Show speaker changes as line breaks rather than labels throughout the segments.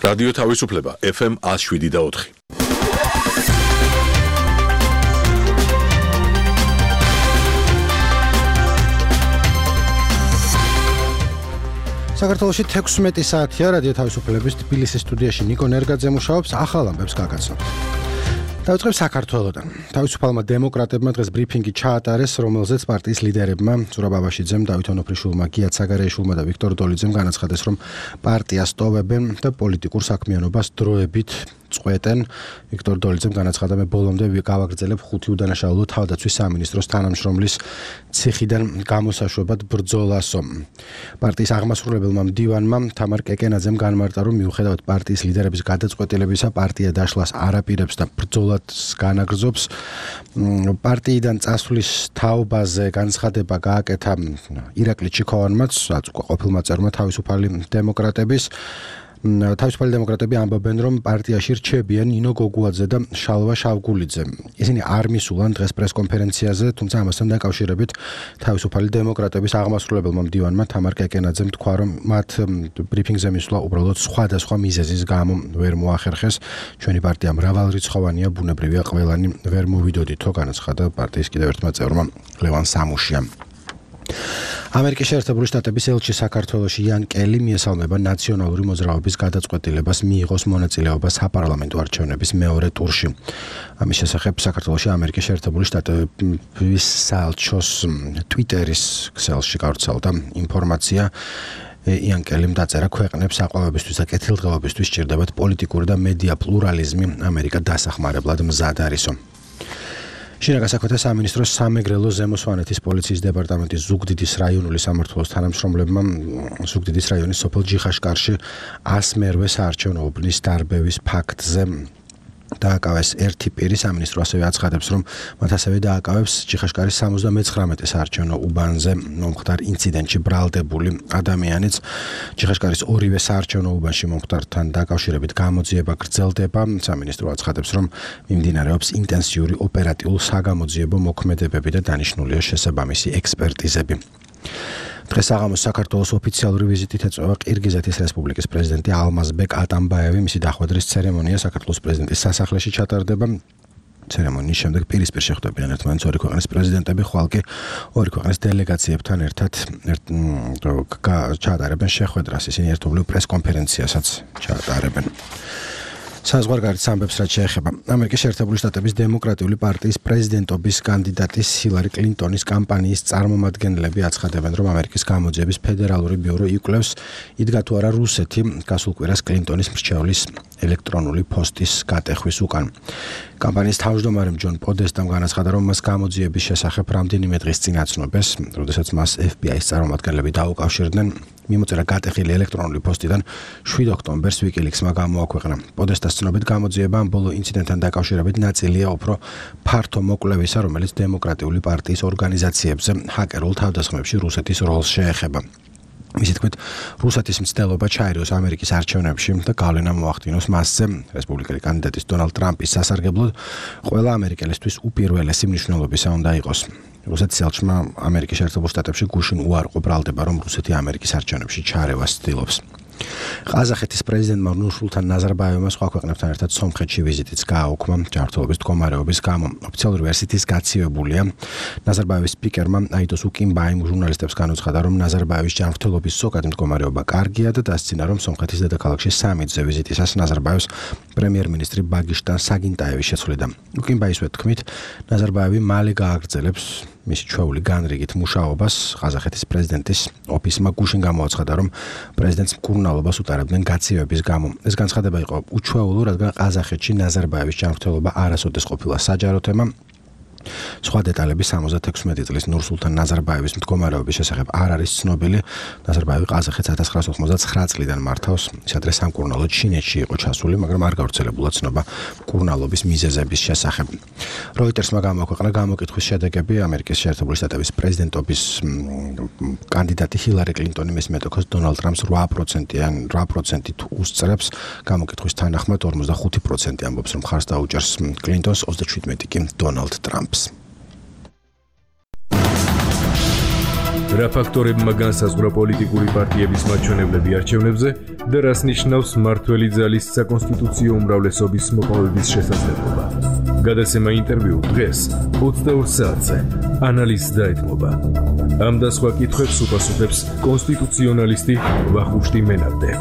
რადიო თავისუფლება FM 107.4.
საქართველოში 16 საათია რადიო თავისუფლების თბილისის სტუდიაში ნიკო ნერგაძე მუშაობს, ახალ ამბებს გაგაცნობთ. დავიწყებ საქართველოდან. თავისუფალმა დემოკრატებმა დღეს ბრიფინგი ჩაატარეს, რომელზეც პარტიის ლიდერებმა ზურაბ აბაშიძემ, დავით ონოფრიშვილმა, გიათ საგარეიშვილმა და ვიქტორ დოლიძემ განაცხადეს, რომ პარტიას ტოვებენ და პოლიტიკურ საქმიანობას დროებით წყვეტენ. ვიქტორ დოლიძემ განაცხადა, მე ბოლომდე გავაგრძელებ 5 უდანაშაულო თავდაცვის სამინისტროს თანამშრომლის ციხიდან გამოსაშვებად ბრძოლასო. პარტიის აღმასრულებელმა მდივანმა თამარ კეკენაძემ განმარტა, რომ მიუხედავად პარტიის ლიდერების გადაწყვეტილებისა, პარტია დაშლას არ აპირებს და ბრძოლას განაგრძობს. პარტიიდან წასვლის თაობაზე განცხადება გააკეთა ირაკლი ჩიქოვანმაც, რაც უკვე ყოფილმა წევრმა თავისუფალი დემოკრატების. თავისუფალი დემოკრატები ამბობენ, რომ პარტიაში რჩებიან ნინო გოგუაძე და შალვა შავგულიძე. ისინი არ მისულან დღეს პრესკონფერენციაზე, თუმცა ამასთან დაკავშირებით თავისუფალი დემოკრატების აღმასრულებელმა მდივანმა თამარ კეკენაძემ თქვა, რომ მათ ბრიფინგზე მისვლა უბრალოდ სხვადასხვა მიზეზის გამო ვერ მოახერხეს. ჩვენი პარტია მრავალრიცხოვანია, ბუნებრივია ყველანი ვერ მოვიდოდითო, განაცხადა პარტიის კიდევ ერთმა წევრმა ლევან სამუშიამ. ამერიკის შეერთებული შტატების ელჩი საქართველოში იან კელი მიესალმება ნაციონალური მოძრაობის გადაწყვეტილებას მიიღოს მონაწილეობა საპარლამენტო არჩევნების მეორე ტურში. ამის შესახებ საქართველოში ამერიკის შეერთებული შტატების საელჩოს ტვიტერის ქსელში გავრცელდა ინფორმაცია. იან კელიმ დაწერა, ქვეყნებს საყვავებისთვის და კეთილდღეობისთვის სჭირდებათ პოლიტიკური და მედია პლურალიზმი, ამერიკა დასახმარებლად მზად არისო. შინაგან საქმეთა სამინისტროს სამეგრელო ზემო სვანეთის პოლიციის დეპარტამენტის ზუგდიდის რაიონული სამმართველოს თანამშრომლებმა ზუგდიდის რაიონის სოფელ ჯიხაშკარში 100 საარჩევნო უბნის დარბევის ფაქტზე დააკავეს ერთი პირი. სამინისტრო ასევე აცხადებს, რომ მათ ასევე დააკავებს ჯიხაშკარის 79 საარჩევნო უბანზე მომხდარ ინციდენტში ბრალდებული ადამიანიც. ჯიხაშკარის ორივე საარჩევნო უბანში მომხდართან დაკავშირებით გამოძიება გრძელდება. სამინისტრო აცხადებს, რომ მიმდინარეობს ინტენსიური ოპერატიულ-საგამოძიებო მოქმედებები და დანიშნულია შესაბამისი ექსპერტიზები. დღეს საღამოს საქართველოს ოფიციალური ვიზიტით ეწევა ყირგიზეთის რესპუბლიკის პრეზიდენტი ალმაზბეკ ატამბაევი. მისი დახვედრის ცერემონია საქართველოს პრეზიდენტის სასახლეში ჩატარდება. ცერემონიის შემდეგ პირისპირ შეხვდებიან ერთმანეთს ორი ქვეყნის პრეზიდენტები, ხვალ კი ორი ქვეყნის დელეგაციებთან ერთად ჩაატარებენ შეხვედრას. ისინი ერთობლივ პრესკონფერენციასაც ჩაატარებენ. საზღვარგარეთ ამბებს რაც შეეხება ამერიკის შეერთებული შტატების დემოკრატიული პარტიის პრეზიდენტობის კანდიდატის ჰილარი კლინტონის კამპანიის წარმომადგენლები აცხადებენ, რომ ამერიკის გამოძიების ფედერალური ბიურო იკვლევს, იდგა თუ არა რუსეთი გასულ კვირას კლინტონის მრჩევლის ელექტრონული პოსტის გატეხვის უკან. კამპანიის თავმჯდომარე ჯონ პოდესტამ განაცხადა, რომ მას გამოძიების შესახებ რამდენიმე დღის წინ აცნობეს, როდესაც მას FBI-ის წარმომადგენლები დაუკავშირდნენ. მიმოწერა გატეხილი ელექტრონული პოსტიდან 7 ოქტომბერს WikiLeaks-მა გამოაქვეყნა. პოდესტას ცნობით გამოძიება ამ ბოლო ინციდენტთან დაკავშირებით ნაწილია უფრო ფართო მოკვლევისა, რომელიც დემოკრატიული პარტიის ორგანიზაციებზე ჰაკერულ თავდასხმებში რუსეთის როლს შეეხება. მისი თქმით, რუსეთის მცდელობა ჩაერიოს ამერიკის არჩევნებში და გავლენა მოახდინოს მასზე. რესპუბლიკელი კანდიდატის დონალდ ტრამპის სასარგებლოდ ყველა ამერიკელისთვის უპირველესი მნიშვნელობისა უნდა იყოს. რუსეთის ელჩმა ამერიკის შეერთებულ შტატებში გუშინ უარყო ბრალდება, რომ რუსეთი ამერიკის არჩევნებში ჩარევას ცდილობს. ყაზახეთის პრეზიდენტმა ნურსულთან ნაზარბაევმა სხვა ქვეყნებთან ერთად სომხეთში ვიზიტიც გააუქმა ჯანმრთელობის მდგომარეობის გამო. ოფიციალური ვერსიით გაცივებულია. ნაზარბაევის სპიკერმა აიდოს უკიმბაიმ ჟურნალისტებს განუცხადა, რომ ნაზარბაევის ჯანმრთელობის ზოგადი მდგომარეობა კარგია და დასცინა, რომ სომხეთის დედაქალაქში სამიტზე ვიზიტისას ნაზარბაევს პრემიერ-მინისტრი ბაგიშტან საგინტაევი შეცვლიდა. უკიმბაისვე თქმით, ნაზარბაევი მალე გააგრძელებს მისი ჩვეული განრიგით მუშაობას. ყაზახეთის პრეზიდენტის ოფისმა გუშინ გამოაცხადა, რომ პრეზიდენტს მკურნალობას უტარებდნენ გაცივების გამო. ეს განცხადება იყო უჩვეულო, რადგან ყაზახეთში ნაზარბაევის ჯანმრთელობა არასოდეს ყოფილა საჯარო თემა. სხვა დეტალები 76 წლის ნურსულთან ნაზარბაევის მდგომარეობის შესახებ არ არის ცნობილი. ნაზარბაევი ყაზახეთს 1999 წლიდან მართავს. ის ადრე სამკურნალოდ ჩინეთში იყო ჩასული, მაგრამ არ გავრცელებულა ცნობა მკურნალობის მიზეზების შესახებ. როიტერსმა გამოაქვეყნა გამოკითხვის შედეგები ამერიკის შეერთებული შტატების პრეზიდენტობის კანდიდატი ჰილარი კლინტონი მის მეტოქოს დონალდ ტრამპს 8%-ით უსწრებს. გამოკითხვის თანახმად 45% ამბობს, რომ მხარს დაუჭერს კლინტონს, 37% კი დონალდ ტრამპს.
რა ფაქტორებმა განსაზღვრა პოლიტიკური პარტიების მაჩვენებლები არჩევნებზე და რას ნიშნავს მმართველი ძალის საკონსტიტუციო უმრავლესობის მოპოვების შესაძლებლობა. გადაცემა ინტერვიუ დღეს 22 საათზე ანალიზს დაეთმობა. ამ და სხვა კითხვებს უპასუხებს კონსტიტუციონალისტი ვახუშტი მენაბდე.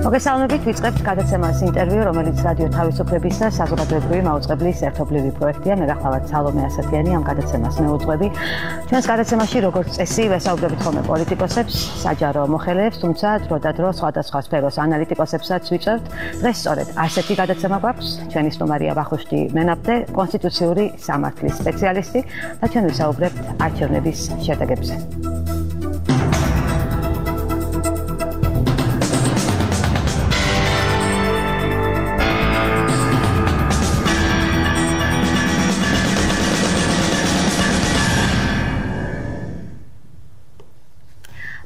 მოგესალმებით, ვიწყებთ გადაცემას ინტერვიუ, რომელიც რადიო თავისუფლების და საზოგადოებრივი მაუწყებლის ერთობლივი პროექტია. მე გახლავართ სალომე ასათიანი, ამ გადაცემას მეუძღვები. ჩვენს გადაცემაში, როგორც წესი, ვესაუბრებით ხოლმე პოლიტიკოსებს, საჯარო მოხელეებს, თუმცა დრო და დრო სხვადასხვა სფეროს ანალიტიკოსებსაც ვიწევთ. დღეს სწორედ ასეთი გადაცემა გვაქვს. ჩვენი სტუმარია ვახუშტი მენაბდე, კონსტიტუციური სამართლის სპეციალისტი და ჩვენ ვისაუბრებთ არჩევნების შედეგებზე.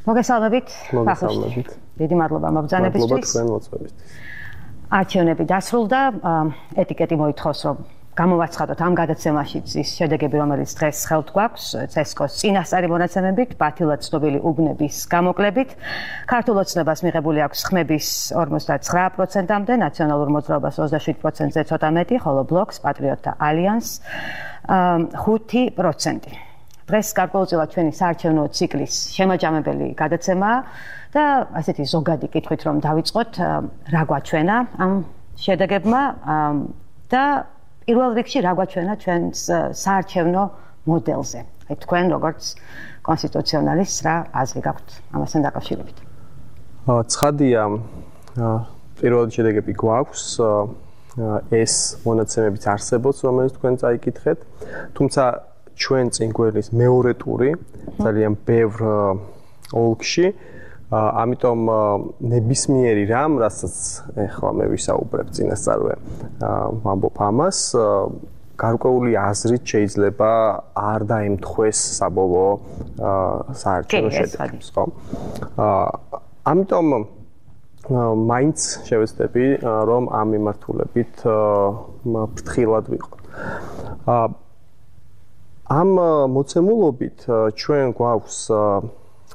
მოგესალმებით.
მოგესალმებით.
დიდი მადლობა მობრძანებისთვის.
მადლობა თქვენ მოწვევისთვის.
არჩევნები დასრულდა, ეტიკეტი მოითხოვს, რომ გამოვაცხადოთ ამ გადაცემაშიც ის შედეგები, რომელიც დღეს ხელთ გვაქვს, CSKO-ს წინასწარი მონაცემებით, ბათილად ცნობილი უბნების გამოკლებით. ქართულ ოცნებას მიღებული აქვს ხმების 59%-მდე, ნაციონალურ მოძრაობას 27%-ზე ცოტა მეტი, ხოლო ბლოკს, პატრიოტთა ალიანსს 5%. დღეს გარკვეულწილად ჩვენი საარჩევნო ციკლის შემაჯამებელი გადაცემაა და ასეთი ზოგადი კითხვით რომ დავიწყოთ, რა გვაჩვენა ამ შედეგებმა და პირველ რიგში რა გვაჩვენა ჩვენს საარჩევნო მოდელზე. თქვენ როგორც კონსტიტუციონალისტს რა აზრი გაქვთ ამასთან დაკავშირებით?
ცხადია, პირველი შედეგები გვაქვს, ეს მონაცემებიც არსებობს, რომელიც თქვენ წაიკითხეთ, თუმცა ჩვენ წინ გვერდის მეორე ტური ძალიან ბევრ ოლქში, ამიტომ ნებისმიერი რამ, რასაც ეხლა მე ვისაუბრებ წინასწარვე, ვამბობ ამას, გარკვეული აზრით შეიძლება არ დაემთხვეს საბოლოო საარჩევნო შედეგებს, ხო? ამიტომ მაინც შევეცდები, რომ ამ მიმართულებით ფრთხილად ვიყოთ. ამ მოცემულობით ჩვენ გვაქვს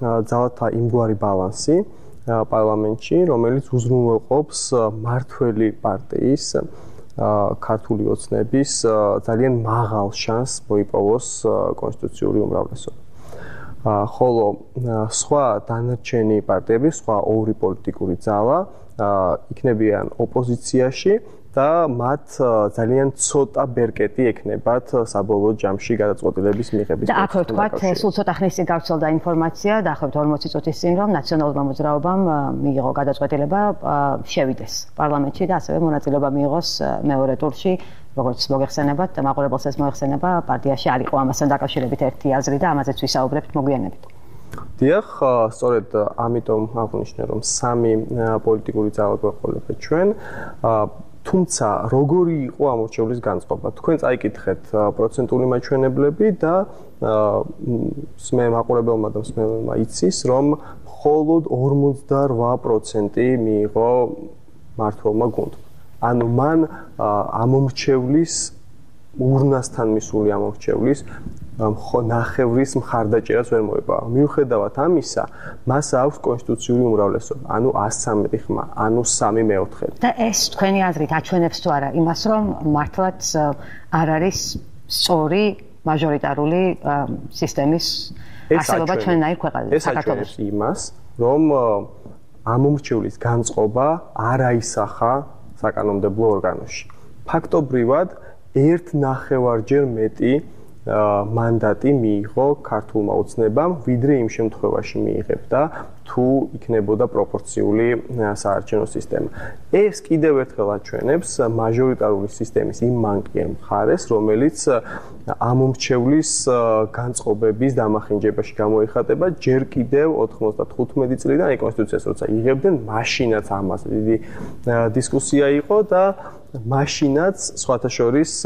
ძალათა იმგვარი ბალანსი პარლამენტში, რომელიც უზრუნველყოფს მმართველი პარტიის ქართული ოცნების ძალიან მაღალ შანსს მოიპოვოს კონსტიტუციური უმრავლესობა. ხოლო სხვა დანარჩენი პარტიები, სხვა ორი პოლიტიკური ძალა იქნებიან ოპოზიციაში და მათ ძალიან ცოტა ბერკეტი ექნებათ საბოლოო ჯამში გადაწყვეტილების მიღების.
და აქ ვთქვათ, სულ ცოტა ხნის წინ გავრცელდა ინფორმაცია, დაახლოებით 40 წუთის წინ, რომ ნაციონალურმა მოძრაობამ მიიღო გადაწყვეტილება შევიდეს პარლამენტში და ასევე მონაწილეობა მიიღოს მეორე ტურში, როგორც მოგეხსენებათ, მაყურებელს ეს მოეხსენება, პარტიაში არ იყო ამასთან დაკავშირებით ერთი აზრი და ამაზეც ვისაუბრებთ მოგვიანებით.
დიახ, სწორედ ამიტომ აღვნიშნე, რომ სამი პოლიტიკური ძალა გვეყოლებათ ჩვენ. თუმცა როგორი იყო ამორჩევლის განწყობა? თქვენ წაიკითხეთ პროცენტული მაჩვენებლები და მე მაყურებელმა და მსმენელმა იცის, რომ მხოლოდ 48% მიიღო მმართველმა გუნდმა. ანუ მან ამორჩევლის ურნასთან მისული ამორჩევლის ნახევრის მხარდაჭერას ვერ მოიპოვა. მიუხედავად ამისა, მას აქვს კონსტიტუციური უმრავლესობა, ანუ 113 ხმა, ანუ 3/4.
და ეს თქვენი აზრით აჩვენებს თუ არა იმას, რომ მართლაც არ არის სწორი მაჟორიტარული სისტემის არსებობა ჩვენნაირ ქვეყანაში,
საქართველოში? ეს აჩვენებს იმას, რომ ამორჩევლის განწყობა არ აისახა საკანონმდებლო ორგანოში. ფაქტობრივად 1.5-ჯერ მეტი მანდატი მიიღო ქართულმა ოცნებამ, ვიდრე იმ შემთხვევაში მიიღებდა, თუ იქნებოდა პროპორციული საარჩევნო სისტემა. ეს კიდევ ერთხელ აჩვენებს მაჟორიტარული სისტემის იმ მანკიერ მხარეს, რომელიც ამორჩევლის განწყობების დამახინჯებაში გამოიხატება ჯერ კიდევ 95 წლიდან, აი კონსტიტუციას როცა იღებდნენ, მაშინაც ამაზე დიდი დისკუსია იყო და მაშინაც სხვათა შორის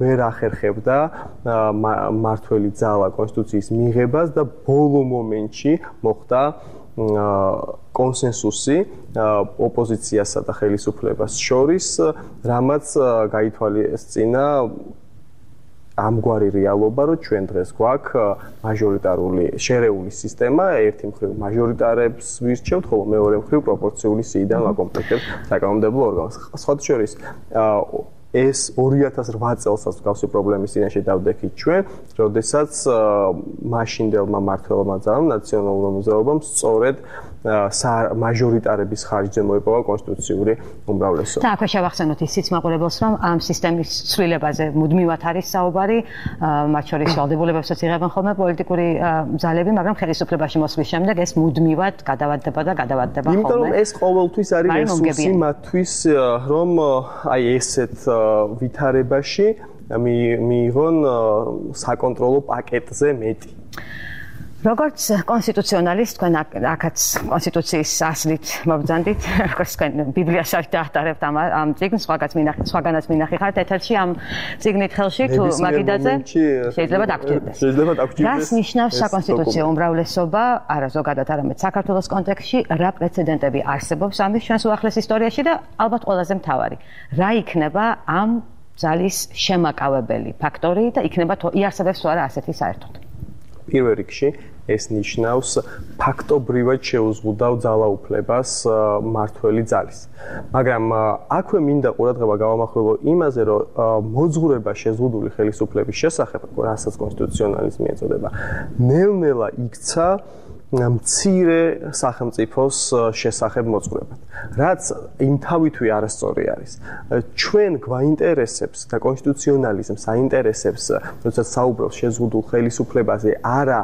ვერ ახერხებდა მმართველი ძალა კონსტიტუციის მიღებას და ბოლო მომენტში მოხდა კონსენსუსი ოპოზიციასა და ხელისუფლებას შორის, რამაც გაითვალისწინა ამგვარი რეალობა, რომ ჩვენ დღეს გვაქვს მაჟორიტარული შერეული სისტემა, ერთი მხრივ მაჟორიტარებს ვირჩევთ, ხოლო მეორე მხრივ პროპორციული სიიდან ვაკომპლექტებთ საკანონმდებლო ორგანოს. სხვათა შორის ეს 2008 წელსაც გავსი პრობლემის წინაშე დავდექით ჩვენ, როდესაც მაშინდელმა მმართველმა ძალამ ნაციონალურმა მოძრაობამ სწორედ მაჟორიტარების ხარჯზე მოიპოვა კონსტიტუციური უმრავლესობა.
და აქვე შევახსენოთ ისიც მაყურებელს, რომ ამ სისტემის ცვლილებაზე მუდმივად არის საუბარი, მათ შორის ვალდებულებებსაც იღებენ ხოლმე პოლიტიკური ძალები, მაგრამ ხელისუფლებაში მოსვლის შემდეგ ეს მუდმივად გადავადდება და გადავადდება ხოლმე.
იმიტომ რომ ეს ყოველთვის არის რესურსი მათთვის, რომ აი ესეთ ვითარებაში მიიღონ საკონტროლო პაკეტზე მეტი.
როგორც კონსტიტუციონალისტ, თქვენ აქაც კონსტიტუციის ასლით მობრძანდით, როგორც თქვენ ბიბლიასაც დაახტარებთ ამ წიგნს, სხვაგანაც მინახი ხართ ეთერში ამ წიგნით ხელში თუ მაგიდაზე შეიძლება დაგჭირდეს. რას ნიშნავს საკონსტიტუციო უმრავლესობა, არა ზოგადად, არამედ საქართველოს კონტექსტში, რა პრეცედენტები არსებობს ამის ჩვენს უახლეს ისტორიაში და ალბათ ყველაზე მთავარი, რა იქნება ამ ძალის შემაკავებელი ფაქტორი და იქნება თუ იარსებებს თუ არა ასეთი საერთოდ.
პირველ რიგში ეს ნიშნავს ფაქტობრივად შეუზღუდავ ძალაუფლებას მმართველი ძალის. მაგრამ აქვე მინდა ყურადღება გავამახვილო იმაზე, რომ მოძღვრება შეზღუდული ხელისუფლების შესახებ, რასაც კონსტიტუციონალიზმი ეწოდება, ნელ-ნელა იქცა მცირე სახელმწიფოს შესახებ მოძღვრებად. რაც იმთავითვე არასწორი არის. ჩვენ გვაინტერესებს და კონსტიტუციონალიზმს აინტერესებს, როდესაც საუბრობს შეზღუდულ ხელისუფლებაზე, არა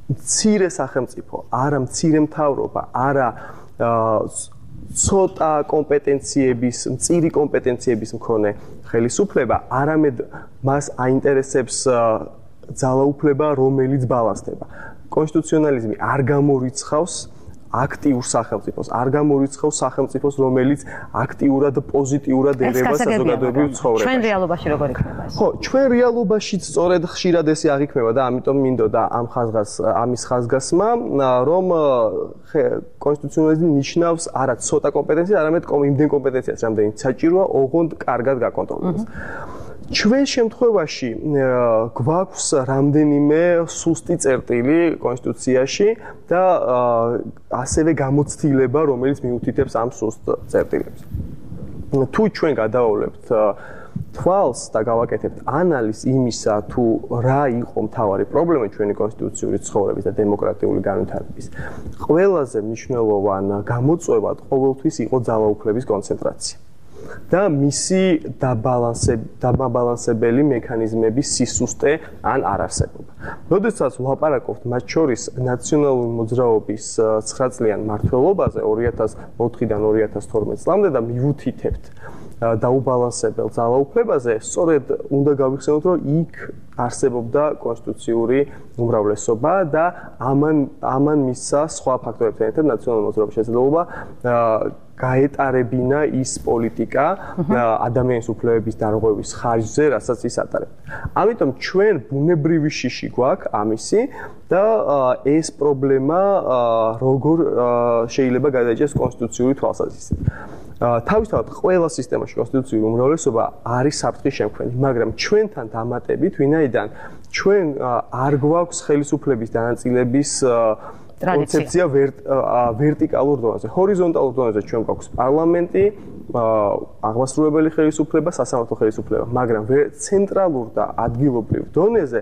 მცირე სახელმწიფო, არა მცირე მთავრობა, არა ცოტა კომპეტენციების, მწირი კომპეტენციების მქონე ხელისუფლება, არამედ მას აინტერესებს ძალაუფლება, რომელიც ბალანსდება. კონსტიტუციონალიზმი არ გამორიცხავს აქტიურ სახელმწიფოს, არ გამორიცხავს სახელმწიფოს, რომელიც აქტიურად და პოზიტიურად ერევა საზოგადოებრივ ცხოვრებას.
ჩვენ რეალობაში როგორ იქნება ეს?
ხო, ჩვენ რეალობაშიც სწორედ ხშირად ესე აღიქმება და ამიტომ მინდოდა ამის ხაზგასმა, რომ კონსტიტუციონალიზმი ნიშნავს არა ცოტა კომპეტენციას, არამედ იმდენ კომპეტენციას, რამდენიც საჭიროა, ოღონდ კარგად გაკონტროლებას. ჩვენ შემთხვევაში გვაქვს რამდენიმე სუსტი წერტილი კონსტიტუციაში და ასევე გამოცდილება, რომელიც მიუთითებს ამ სუსტ წერტილებს. თუ ჩვენ გადავავლებთ თვალს და გავაკეთებთ ანალიზს იმისა, თუ რა იყო მთავარი პრობლემა ჩვენი კონსტიტუციური ცხოვრების და დემოკრატიული განვითარების, ყველაზე მნიშვნელოვან გამოწვევად ყოველთვის იყო ძალაუფლების კონცენტრაცია. და მისი დაბალანსებელი მექანიზმების სისუსტე ან არარსებობა. როდესაც ვლაპარაკობთ მათ შორის ნაციონალური მოძრაობის 9 წლიან მმართველობაზე 2004-დან 2012 წლამდე და მივუთითებთ დაუბალანსებელ ძალაუფლებაზე, სწორედ უნდა გავიხსენოთ, რომ იქ არსებობდა კონსტიტუციური უმრავლესობა და ამან მისცა სხვა ფაქტორებთან ერთად ნაციონალური მოძრაობის შესაძლებლობა გაეტარებინა ის პოლიტიკა ადამიანის უფლებების დარღვევის ხარჯზე, რასაც ის ატარებდა. ამიტომ ჩვენ ბუნებრივი შიში გვაქვს ამისი და ეს პრობლემა როგორ შეიძლება გადაიჭრას კონსტიტუციური თვალსაზრისით. თავისთავად ყველა სისტემაში კონსტიტუციური უმრავლესობა არის საფრთხის შემქმნელი, მაგრამ ჩვენთან დამატებით, ვინაიდან ჩვენ არ გვაქვს ხელისუფლების დანაწილების კონცეფცია ვერტიკალურ დონეზე. ჰორიზონტალურ დონეზე ჩვენ გვაქვს პარლამენტი, აღმასრულებელი ხელისუფლება, სასამართლო ხელისუფლება, მაგრამ ცენტრალურ და ადგილობრივ დონეზე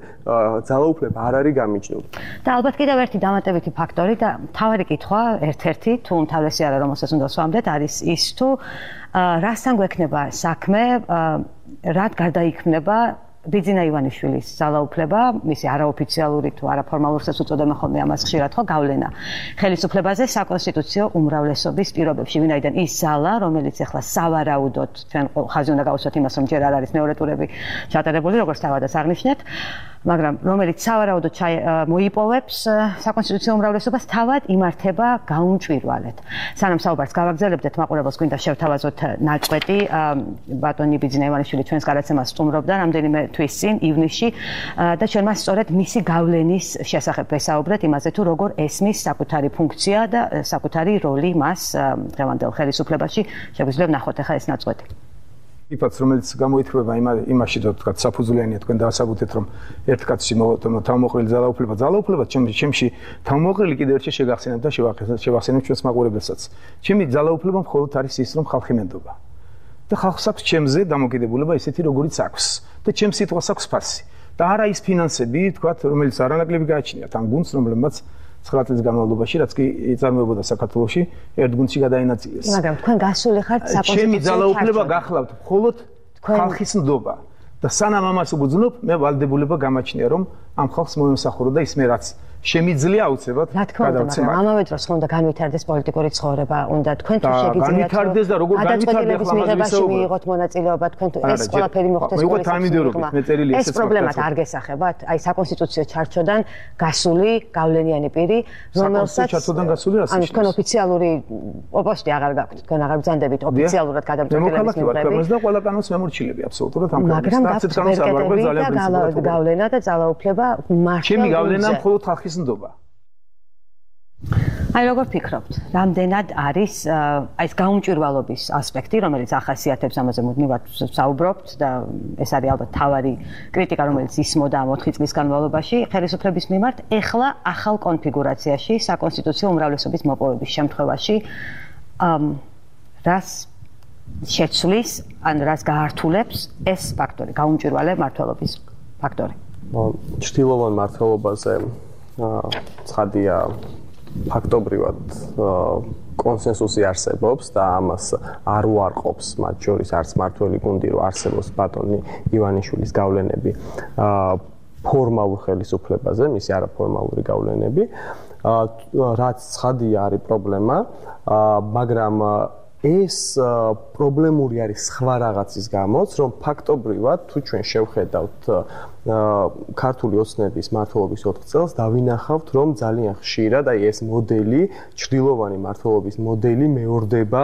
ძალაუფლება არ არის გამიჯნული.
და ალბათ კიდევ ერთი დამატებითი ფაქტორი და მთავარი კითხვა, ერთ-ერთი, თუ უმთავრესი არა, რომელსაც უნდა ვსვამდეთ, არის ის, თუ რასთან გვექნება საქმე, რად გარდაიქმნება ბიძინა ივანიშვილის ძალაუფლება, მისი არაოფიციალური თუ არაფორმალურსაც უწოდებენ ხოლმე ამას ხშირად ხო გავლენა ხელისუფლებაზე საკონსტიტუციო უმრავლესობის პირობებში, ვინაიდან ის ძალა, რომელიც ახლა სავარაუდოდ ჩვენ ხაზი უნდა გავუსვათ იმას, რომ ჯერ არ არის მეორე ტურები ჩატარებული, როგორც თავადაც აღნიშნეთ, მაგრამ რომელიც სავარაუდოდ მოიპოვებს საკონსტიტუციო უმრავლესობას, თავად იმართება გაუმჭვირვალედ. სანამ საუბარს გავაგრძელებდეთ, მაყურებელს გვინდა შევთავაზოთ ნაწყვეტი. ბატონი ბიძინა ივანიშვილი ჩვენს გადაცემას სტუმრობდა რამდენიმე თვის წინ, ივნისში და ჩვენ მას სწორედ მისი გავლენის შესახებ ვესაუბრეთ, იმაზე თუ როგორ ესმის საკუთარი ფუნქცია და საკუთარი როლი მას დღევანდელ ხელისუფლებაში. შეგვიძლია ვნახოთ ახლა ეს ნაწყვეტი.
იფაც რომელიც გამოითვლება იმაში და თქვა საფუძვლიანია თქვენ დაასაბუთეთ რომ ერთ კაცში თავმოყრილი ძალაუფლება ჩემში თავმოყრილი კიდევ ერთი შეგახსენებთ და შევახსენებ ჩვენს მაყურებელსაც ჩემი ძალაუფლება მხოლოდ არის ის რომ ხალხი მენდობა და ხალხს აქვს ჩემზე დამოკიდებულება ისეთი როგორიც აქვს და ჩემს სიტყვას აქვს ფასი და არა ის ფინანსები თქვა რომელიც არანაკლები გააჩნიათ ამ გუნდს რომლებმაც 9 წლის განმავლობაში რაც კი იწარმოებოდა საქართველოში ერთ გუნდში გადაინაწილეს.
მაგრამ თქვენ გასული ხართ საკონსტიტუციო
ჩემი ძალაუფლება გახლავთ მხოლოდ ხალხის ნდობა და სანამ ამას უგრძნობ მე ვალდებულება გამაჩნია რომ ამ ხალხს მომემსახურო და ის მე რაც შემიძლია აუცილებლად
გადავცემა. ამავე დროს უნდა განვითარდეს პოლიტიკური ცხოვრება, უნდა თქვენ თუ შეგიძლიათ
განვითარდეს და როგორ განვითარდეს
მიღებაში მიიღოთ მონაწილეობა, თქვენ თუ ეს ყველაფერი მოხდეს პოლიტიკაში. ეს პრობლემად არ გესახებათ? აი საკონსტიტუციო ჩარჩოდან გასული გავლენიანი პირი, რომელსაც
ჩარჩოდან გასული რას
ნიშნავს? თქვენ ოფიციალური პოსტი აღარ გაქვთ, თქვენ აღარ ბრძანდებით ოფიციალურად გადამწყვეტილების მიღებით.
და ყველა კანონს მემორჩილები აბსოლუტურად ამ
მაგრამ გავლენა და ძალაუფლება მართლა
ჩემი გავლენა მხოლოდ ხალხის ნდობა.
აი როგორ ფიქრობთ, რამდენად არის აი ეს გაუმჭვირვალობის ასპექტი, რომელიც ახასიათებს ამაზე მუდმივად საუბრობთ და ეს არის ალბათ თავარი კრიტიკა, რომელიც ისმოდა ამ 4 წლის განმავლობაში ხელისუფლების მიმართ, ეხლა ახალ კონფიგურაციაში, საკონსტიტუციო უმრავლესობის მოპოვების შემთხვევაში რას შეცვლის, ან რას გაართულებს ეს ფაქტორი, გაუმჭვირვალე მმართველობის ფაქტორი?
ჭრილოვან მმართველობაზე ცხადია ფაქტობრივად კონსენსუსი არსებობს და ამას არ უარყოფს მათ შორის არც მმართველი გუნდი რომ არსებობს ბატონი ივანიშვილის გავლენები ფორმალურ ხელისუფლებაზე, მისი არაფორმალური გავლენები, რაც ცხადია არის პრობლემა, მაგრამ ეს პრობლემური არის სხვა რაღაცის გამოც, რომ ფაქტობრივად თუ ჩვენ შევხედავთ ქართული ოცნების მმართველობის 4 წელს დავინახავთ, რომ ძალიან ხშირად აი ეს მოდელი, ჭრილოვანი მმართველობის მოდელი მეორდება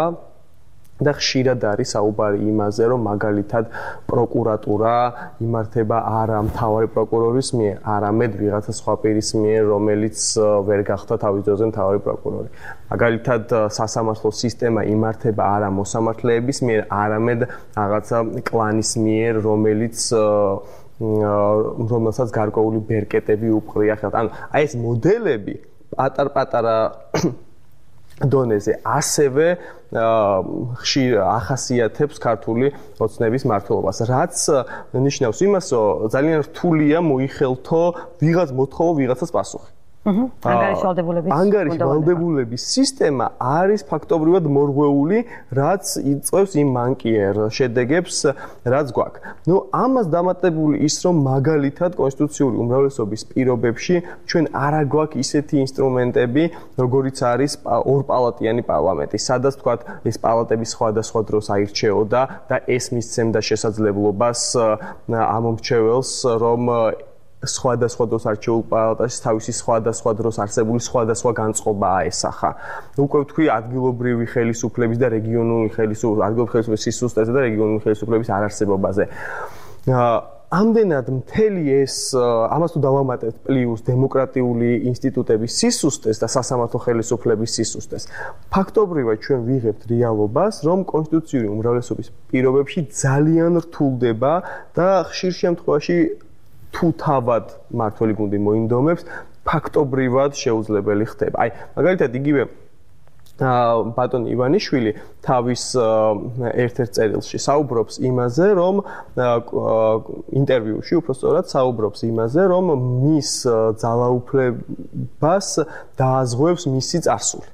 და ხშირად არის საუბარი იმაზე, რომ მაგალითად პროკურატურა იმართება არა მთავარი პროკურორის მიერ, არამედ ვიღაცა სხვა პირის მიერ, რომელიც ვერ გახდა თავის დროზე მთავარი პროკურორი. მაგალითად სასამართლო სისტემა იმართება არა მოსამართლეების მიერ, არამედ რაღაცა კლანის მიერ, რომელსაც გარკვეული ბერკეტები უპყრია ხელთ. ანუ აი ეს მოდელები პატარ-პატარა დონეზე ასევე ხშირ ახასიათებს ქართული ოცნების მმართველობას, რაც ნიშნავს იმას, რომ ძალიან რთულია მოიხელთო ვიღაც მოთხოვო ვიღაცას პასუხი. ანგარიში ვალდებულების სისტემა არის ფაქტობრივად მორღვეული, რაც იწვევს იმ მანკიერ შედეგებს, რაც გვაქვს. ნუ ამას დამატებული ის, რომ მაგალითად კონსტიტუციური უმრავლესობის პირობებში ჩვენ არ გვაქვს ისეთი ინსტრუმენტები, როგორიც არის ორპალატიანი პარლამენტი, სადაც თქვათ ეს პალატები სხვადასხვა დროს აირჩეოდა და ეს მისცემდა შესაძლებლობას ამ მომრჩეველს, რომ სხვადასხვა დროს არჩეულ პალატაში თავისი სხვადასხვა დროს არსებული სხვადასხვა განწყობა აესახა. უკვე ვთქვი ადგილობრივი ხელისუფლების და რეგიონული ხელისუფლების სისუსტეზე და რეგიონული ხელისუფლების არარსებობაზე. ამდენად მთელი ეს ამას თუ დავამატებთ პლუს დემოკრატიული ინსტიტუტების სისუსტეს და სასამართლო ხელისუფლების სისუსტეს. ფაქტობრივად ჩვენ ვიღებთ რეალობას, რომ კონსტიტუციური უმრავლესობის პირობებში ძალიან რთულდება და ხშირ შემთხვევაში თუ თავად მმართველი გუნდი მოინდომებს, ფაქტობრივად შეუძლებელი ხდება. აი, მაგალითად იგივე ბატონი ივანიშვილი თავის ერთ-ერთ წერილში საუბრობს იმაზე, რომ ინტერვიუში უпростоრად საუბრობს იმაზე, რომ მის ძალაუფლებას დააზღვევს მისი წარსული.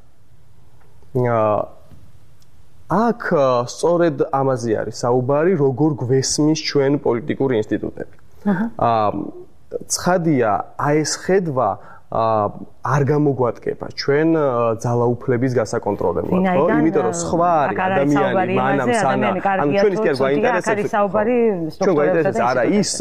აქ სწორედ ამაზე არის საუბარი, როგორ გვესმის ჩვენ პოლიტიკური ინსტიტუტები. ცხადია, აი ეს ხედვა არ გამოგვატკება ჩვენ ძალაუფლების გასაკონტროლებლად, ხო? იმიტომ რომ სხვა არის ადამიანი, მანამ სანა, ანუ ჩვენის კი არ გვაინტერესებს ჩვენ გვაინტერესებს არა ის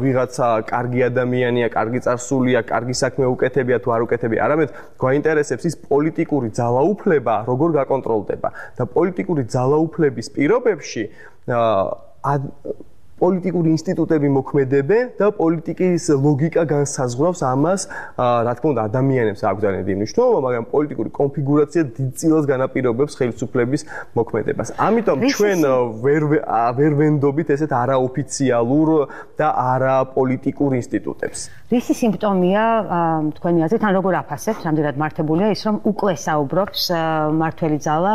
ვიღაცა კარგი ადამიანია, კარგი წარსულია, კარგი საქმე უკეთებია თუ არ უკეთებია, არამედ გვაინტერესებს ის პოლიტიკური ძალაუფლება როგორ გაკონტროლდება და პოლიტიკური ძალაუფლების პირობებში პოლიტიკური ინსტიტუტები მოქმედებენ და პოლიტიკის ლოგიკა განსაზღვრავს ამას, რა თქმა უნდა, ადამიანებს აქვს ძალიან დიდი მნიშვნელობა, მაგრამ პოლიტიკური კონფიგურაცია დიდწილად განაპირობებს ხელისუფლების მოქმედებას. ამიტომ ჩვენ ვერ ვენდობით ესეთ არაოფიციალურ და არაპოლიტიკურ ინსტიტუტებს.
რისი სიმპტომია თქვენი აზრით, ან როგორ აფასებთ, რამდენად მართებულია ის, რომ უკვე საუბრობს მმართველი ძალა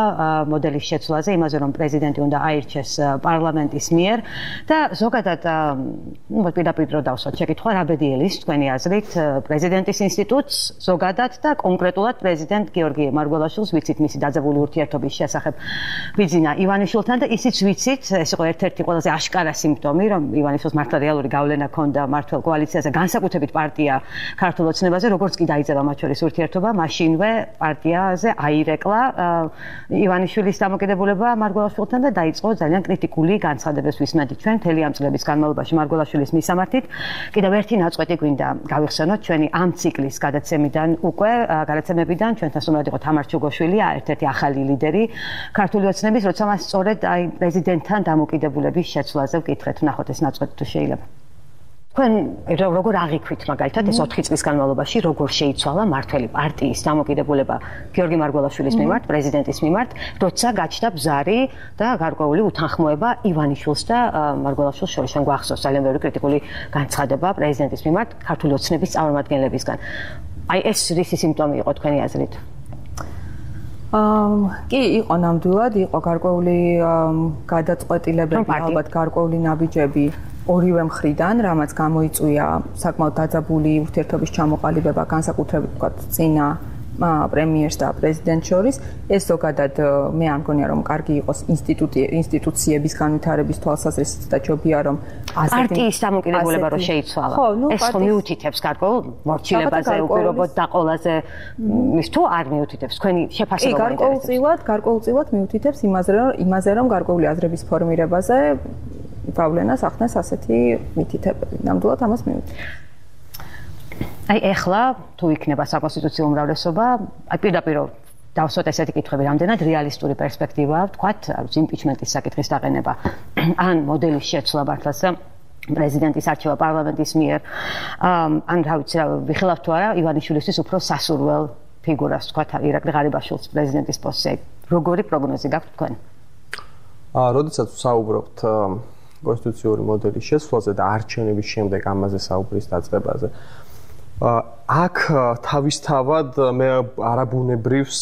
მოდელის შეცვლაზე, იმაზე, რომ პრეზიდენტი უნდა აირჩეს პარლამენტის მიერ და ზოგადად პირდაპირ რო დავსვათ შეკითხვა რა ბედიელის თქვენი აზრით პრეზიდენტის ინსტიტუტს ზოგადად და კონკრეტულად პრეზიდენტ გიორგი მარგველაშვილს ვიცით მისი დაძაბული ურთიერთობის შესახებ ბიძინა ივანიშვილთან და ისიც ვიცით ეს იყო ერთ-ერთი ყველაზე აშკარა სიმპტომი რომ ივანიშვილს მართლა რეალური გავლენა ჰქონდა მმართველ კოალიციაზე განსაკუთრებით პარტია ქართულ ოცნებაზე როგორც კი დაიძაბა მათ შორის ურთიერთობა მაშინვე პარტიაზე აირეკლა ივანიშვილის დამოკიდებულება მარგველაშვილთან და დაიწყო ძალიან კრიტიკული განცხადებების ვისმენთ ჩვენ მთელი ამ წლების განმავლობაში მარგველაშვილის მისამართით კიდევ ერთი ნაწყვეტი გვინდა გავიხსენოთ ჩვენი ამ ციკლის გადაცემიდან უკვე გადაცემებიდან ჩვენთან სტუმრად იყო თამარ ჩუგოშვილი ერთ-ერთი ახალი ლიდერი ქართული ოცნების როცა მას სწორედ აი პრეზიდენტთან დამოკიდებულების შეცვლაზე ვკითხეთ ნახოთ ეს ნაწყვეტი თუ შეიძლება თქვენ როგორ აღიქვით მაგალითად ეს 4 წლის განმავლობაში როგორ შეიცვალა მმართველი პარტიის დამოკიდებულება გიორგი მარგველაშვილის მიმართ პრეზიდენტის მიმართ როცა გაჩნდა ბზარი და გარკვეული უთანხმოება ივანიშვილს და მარგველაშვილს შორის ჩვენ გვახსოვს ძალიან ბევრი კრიტიკული განცხადება პრეზიდენტის მიმართ ქართული ოცნების წარმომადგენლებისგან აი ეს რისი სიმპტომი იყო თქვენი აზრით
კი იყო ნამდვილად იყო გარკვეული გადაწყვეტილებები ალბათ გარკვეული ნაბიჯები ორივე მხრიდან, რამაც გამოიწვია საკმაოდ დაძაბული ურთიერთობის ჩამოყალიბება განსაკუთრებით ვთქვათ წინა პრემიერს და პრეზიდენტს შორის. ეს ზოგადად მე არ მგონია რომ კარგი იყოს ინსტიტუციების განვითარების თვალსაზრისით და ჯობია რომ
პარტიის დამოკიდებულება რო შეიცვალა. ეს ხო მიუთითებს გარკვეულ მორჩილებაზე უპირობოდ და ყველაზე ის თუ არ მიუთითებს თქვენი შეფასება
გარკვეულწილად მიუთითებს იმაზე რომ გარკვეული აზრების ფორმირებაზე გავლენას ახდენს ასეთი მითითებები. ნამდვილად ამას მივუძებთ.
აი ეხლა თუ იქნება საკონსტიტუციო უმრავლესობა, აი პირდაპირ დავსვათ ესეთი კითხვები, რამდენად რეალისტური პერსპექტივაა, ვთქვათ, იმპიჩმენტის საკითხის დაყენება, ან მოდელის შეცვლა მართლაც პრეზიდენტის არჩევა პარლამენტის მიერ, ან რა ვიცი, ვიხილავთ თუ არა, ივანიშვილისთვის უფრო სასურველ ფიგურას, ვთქვათ, ირაკლი ღარიბაშვილს პრეზიდენტის პოსტზე. როგორი პროგნოზი გაქვთ თქვენ?
როდესაც საუბრობთ კონსტიტუციური მოდელის შესვლაზე და არჩევნების შემდეგ ამაზე საუბრის დაწყებაზე. აქ თავისთავად მე არაბუნებრივს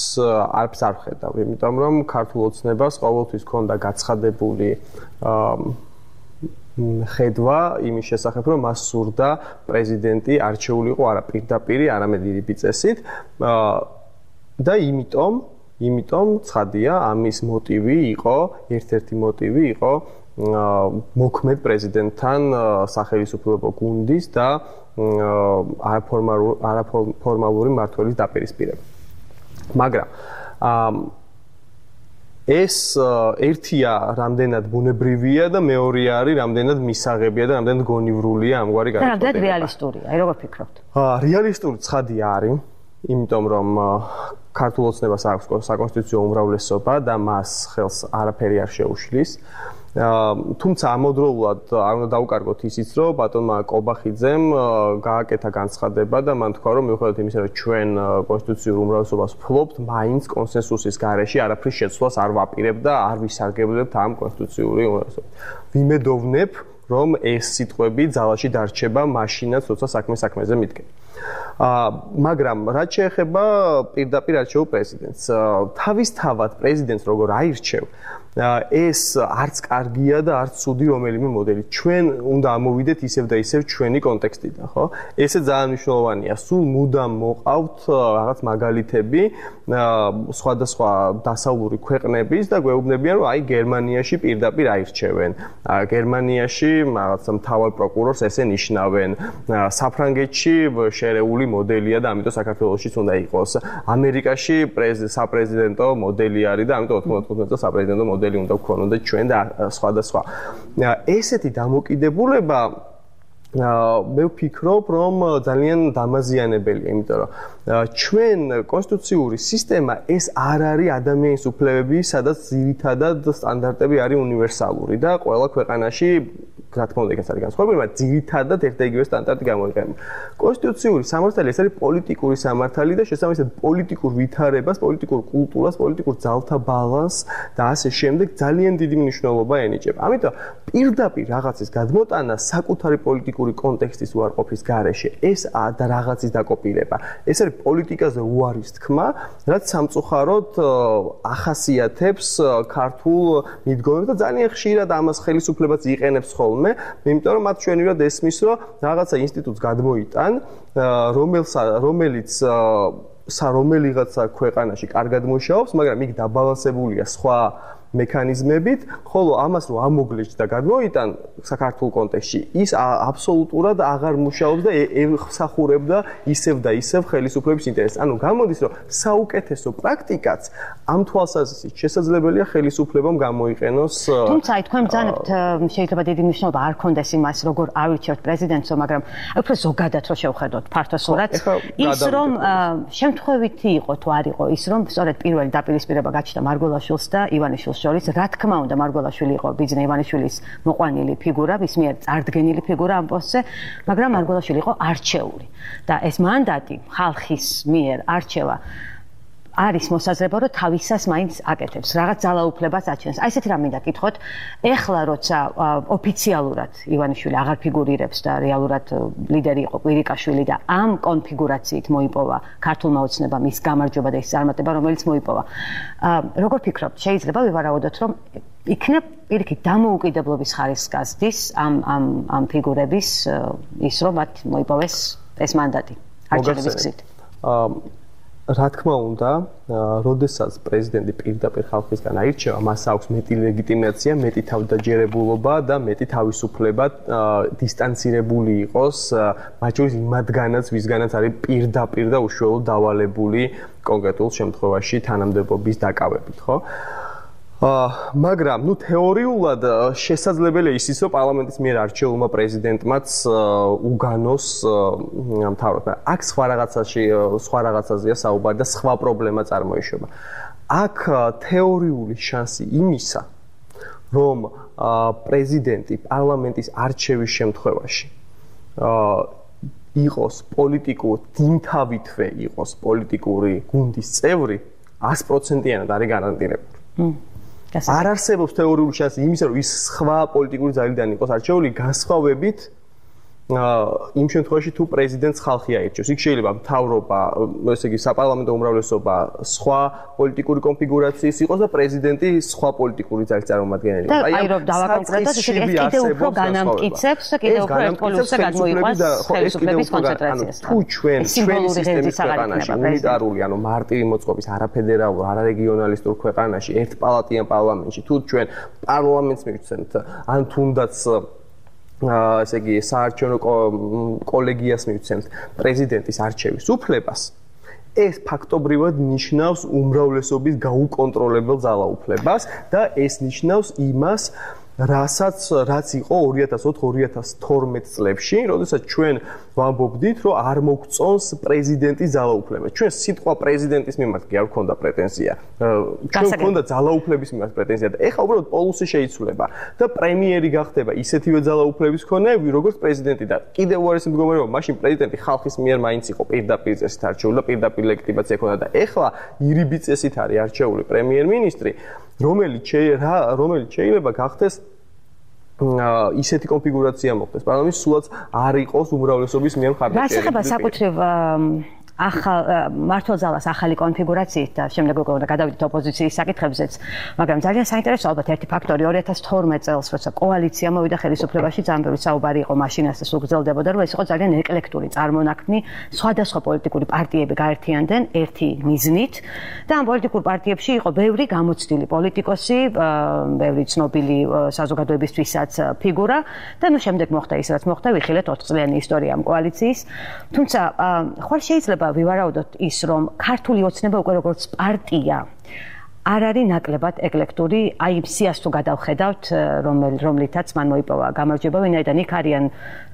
არც არ ვხედავ, იმიტომ რომ ქართულ ოცნებას ყოველთვის ჰქონდა გაცხადებული ხედვა იმის შესახებ, რომ მას სურდა პრეზიდენტი არჩეულიყო არა პირდაპირ, არამედ ირიბი წესით და იმიტომ ცხადია ამის მოტივი იყო, ერთ-ერთი მოტივი იყო მოქმედ პრეზიდენტთან სახელმწიფო გუნდის და არაფორმალური მმართველის დაპირისპირება. მაგრამ ეს ერთია რამდენად ბუნებრივია და მეორეა არის რამდენად მისაღებია და რამდენად გონივრულია ამგვარი
განწყობა. რამდენად რეალისტურია, აი როგორ ფიქრობთ?
რეალისტური ცხადია არის, იმიტომ რომ ქართულ ოცნებას აქვს საკონსტიტუციო უმრავლესობა და მას ხელს არაფერი არ შეუშლის. თუმცა ამავდროულად არ უნდა დაუკარგოთ ისიც, რომ ბატონმა კობახიძემ გააკეთა განცხადება და მან თქვა, რომ მიუხედავად იმისა, რომ ჩვენ კონსტიტუციურ უმრავლესობას ვფლობთ, მაინც კონსენსუსის გარეშე არაფრის შეცვლას არ ვაპირებთ და არ ვისარგებლებთ ამ კონსტიტუციური უმრავლესობებით. ვიმედოვნებ, რომ ეს სიტყვები ძალაში დარჩება მაშინაც, როცა საქმეზე მიდგება. მაგრამ რაც შეეხება პირდაპირ არჩეულ პრეზიდენტს, თავისთავად პრეზიდენტს როგორ აირჩევ, ეს არც კარგია და არც ცუდი რომელიმე მოდელი. ჩვენ უნდა ამოვიდეთ ისევ და ისევ ჩვენი კონტექსტიდან, ხო? ესე ძალიან მნიშვნელოვანია. სულ მუდამ მოყავთ რაღაც მაგალითები სხვადასხვა დასავლური ქვეყნების და გვეუბნებიან, რომ აი გერმანიაში პირდაპირ აირჩევენ. გერმანიაში რაღაც მთავარ პროკურორს ესე ნიშნავენ. საფრანგეთში შერეული მოდელია და ამიტომ საქართველოშიც უნდა იყოს. ამერიკაში საპრეზიდენტო მოდელი არის და ამიტომ 95 წელს საპრეზიდენტო მოდელი უნდა გქონოდეთ ჩვენ და სხვადასხვა. ესეთი დამოკიდებულება მე ვფიქრობ, რომ ძალიან დამაზიანებელია, იმიტომ რომ ჩვენ კონსტიტუციური სისტემა ეს არ არის ადამიანის უფლებები, სადაც ძირითადად სტანდარტები არის უნივერსალური და ყველა ქვეყანაში რა თქმა უნდა, ეს არის განსხვავებული, მაგრამ ძირითადად ერთ და იგივე სტანდარტი გამოიყენება. კონსტიტუციური სამართალი ეს არის პოლიტიკური სამართალი და შესაბამისად პოლიტიკურ ვითარებას, პოლიტიკურ კულტურას, პოლიტიკურ ძალთა ბალანსს და ასე შემდეგ ძალიან დიდი მნიშვნელობა ენიჭება. ამიტომ პირდაპირ რაღაცის გადმოტანა საკუთარი პოლიტიკური კონტექსტის უარყოფის გარეშე ეს და რაღაცის დაკოპირება. ეს არის პოლიტიკაზე უარის თქმა, რაც სამწუხაროდ ახასიათებს ქართულ მიდგომებს და ძალიან ხშირად ამას ხელისუფლებაც იყენებს ხოლმე. იმიტომ რომ მათ ჩვენივად ესმის, რომ რაღაცა ინსტიტუტს გადმოიტან, რომელიღაცა ქვეყანაში კარგად მუშაობს, მაგრამ იქ დაბალანსებულია სხვა მექანიზმებით, ხოლო ამას რომ ამოგლეჯს და გადმოიტან საქართველოს კონტექსტში, ის აბსოლუტურად აღარ მუშაობს და ემსახურებდა ისევ და ისევ ხელისუფლების ინტერესს. ანუ გამოდის, რომ საუკეთესო პრაქტიკაც ამ თვალსაზრისით შესაძლებელია ხელისუფლებამ გამოიყენოს.
თუმცა თქვენ ბრძანებთ შეიძლება დიდი მნიშვნელობა არ ქონდეს იმას, როგორ ავირჩევთ პრეზიდენტს, მაგრამ უფრო ზოგადად რო შევხედოთ ფართოსურად, ის რომ შემთხვევითი იყო თუ არ იყო ის, რომ სწორედ პირველი დაპირისპირება გაჩნდა მარგველაშვილს და ივანიშვილს შორის, რა თქმა უნდა, მარგველაშვილი იყო ბიძინა ივანიშვილის მოყვანილი ფიგურა, მის მიერ წარდგენილი ფიგურა ამ პოსტზე, მაგრამ მარგველაშვილი იყო არჩეული. და ეს მანდატი ხალხის მიერ არჩევა არის მოსაზრება, რომ თავისას მაინც აკეთებს, რაღაც ძალაუფლებას აჩენს. აი ესეთი რამ მინდა კითხოთ, ეხლა როცა ოფიციალურად ივანიშვილი აღარ ფიგურირებს და რეალურად ლიდერი იყო კვირიკაშვილი და ამ კონფიგურაციით მოიპოვა ქართულმა ოცნებამ ის გამარჯვება და ის წარმატება, რომელიც მოიპოვა. როგორ ფიქრობთ, შეიძლება ვივარაუდოთ, რომ იქნებ პირიქით დამოუკიდებლობის ხარისხს გასდის ამ ფიგურების ის, რომ მათ მოიპოვეს ეს მანდატი არჩევნების გზით?
რა თქმა უნდა, როდესაც პრეზიდენტი პირდაპირ ხალხისგან აირჩევა, მას აქვს მეტი ლეგიტიმაცია, მეტი თავდაჯერებულობა და მეტი თავისუფლება დისტანცირებული იყოს, მათ შორის იმათგანაც, ვისგანაც არის პირდაპირ და უშუალოდ დავალებული კონკრეტულ შემთხვევაში თანამდებობის დაკავებით, ხო? მაგრამ, თეორიულად შესაძლებელია ისიც, რომ პარლამენტის მიერ არჩეულმა პრეზიდენტმაც უგანოს მთავრად. აქ სხვა რაღაცაზეა საუბარი და სხვა პრობლემა წარმოიშვება. აქ თეორიული შანსი იმისა, რომ პრეზიდენტი პარლამენტის არჩევის შემთხვევაში იყოს დინთავითვე იყოს პოლიტიკური გუნდის წევრი, 100%-იანად არის გარანტირებული. არ არსებობს თეორიული შანსი იმისა, რომ ის სხვა პოლიტიკური ძალიდან იყოს არჩეული, განსხვავებით იმ შემთხვევაში თუ პრეზიდენტს ხალხი აირჩევს. იქ შეიძლება მთავრობა, ესე იგი საპარლამენტო უმრავლესობა სხვა პოლიტიკური კონფიგურაციის იყოს და პრეზიდენტი სხვა პოლიტიკური ძალის წარმომადგენელი იყოს.
აი რომ დავაკონკრეტოთ, ეს კიდევ უფრო განამტკიცებს და კიდევ უფრო ერთპოლუსზე გადმოიყვანს ხელისუფლების კონცენტრაციას.
თუ ჩვენი სისტემის ქვეყანაში უნიტარული, ანუ მარტივი მოწყობის არაფედერალურ, არარეგიონალისტურ ქვეყანაში ერთპალატიან პარლამენტში, თუ ჩვენ პარლამენტს მივცემთ, ან თუნდაც ესე იგი საარჩევნო კოლეგიას მივცემთ პრეზიდენტის არჩევის უფლებას, ეს ფაქტობრივად ნიშნავს უმრავლესობის გაუკონტროლებელ ძალაუფლებას და ეს ნიშნავს იმას, რაც იყო 2004-2012 წლებში, როდესაც ჩვენ ვამბობდით, რომ არ მოგწონს პრეზიდენტის ძალაუფლება. ჩვენ სიტყვა პრეზიდენტის მიმართ კი არ გქონდა პრეტენზია. ჩვენ გქონდა ძალაუფლების მიმართ პრეტენზია და ეხლა უბრალოდ პოლუსი შეიცვლება და პრემიერი გახდება ისეთივე ძალაუფლების მქონე, როგორც პრეზიდენტი და კიდევ უარესი მდგომარეობა, მაშინ პრეზიდენტი ხალხის მიერ მაინც იყო პირდაპირ წესით არჩეული და პირდაპირ ლეგიტიმაცია ჰქონდა და ეხლა ირიბი წესით არის არჩეული პრემიერ-მინისტრი, რომელიც შეიძლება გახდეს ისეთი კონფიგურაცია მოხდეს. პარლამენტში სულაც არ იყოს უმრავლესობის მიერ მხარდაჭერა.
რა შეხება საკუთრივ მართლ ძალას ახალი კონფიგურაციით და შემდეგ უკვე გადავიდეთ ოპოზიციის საკითხებზეც, მაგრამ ძალიან საინტერესო ალბათ ერთი ფაქტორი 2012 წელს, როცა კოალიცია მოვიდა ხელისუფლებაში, ძალიან ბევრი საუბარი იყო მაშინაც და სულ გრძელდებოდა, რომ ეს იყო ძალიან ეკლექტური წარმონაქმნი, სხვადასხვა პოლიტიკური პარტიები გაერთიანდნენ ერთი მიზნით და ამ პოლიტიკურ პარტიებში იყო ბევრი გამოცდილი პოლიტიკოსი, ბევრი ცნობილი საზოგადოებისთვისაც ფიგურა და ნუ შემდეგ მოხდა ის რაც მოხდა, ვიხილეთ 4 წლიანი ისტორია ამ კოალიციის. თუმცა ხვალ შეიძლება ვივარაუდოთ ის, რომ ქართული ოცნება უკვე როგორც პარტია არ არის ნაკლებად ეკლექტური, აი სიას თუ გადავხედავთ, რომლითაც მან მოიპოვა გამარჯვება, ვინაიდან იქ არიან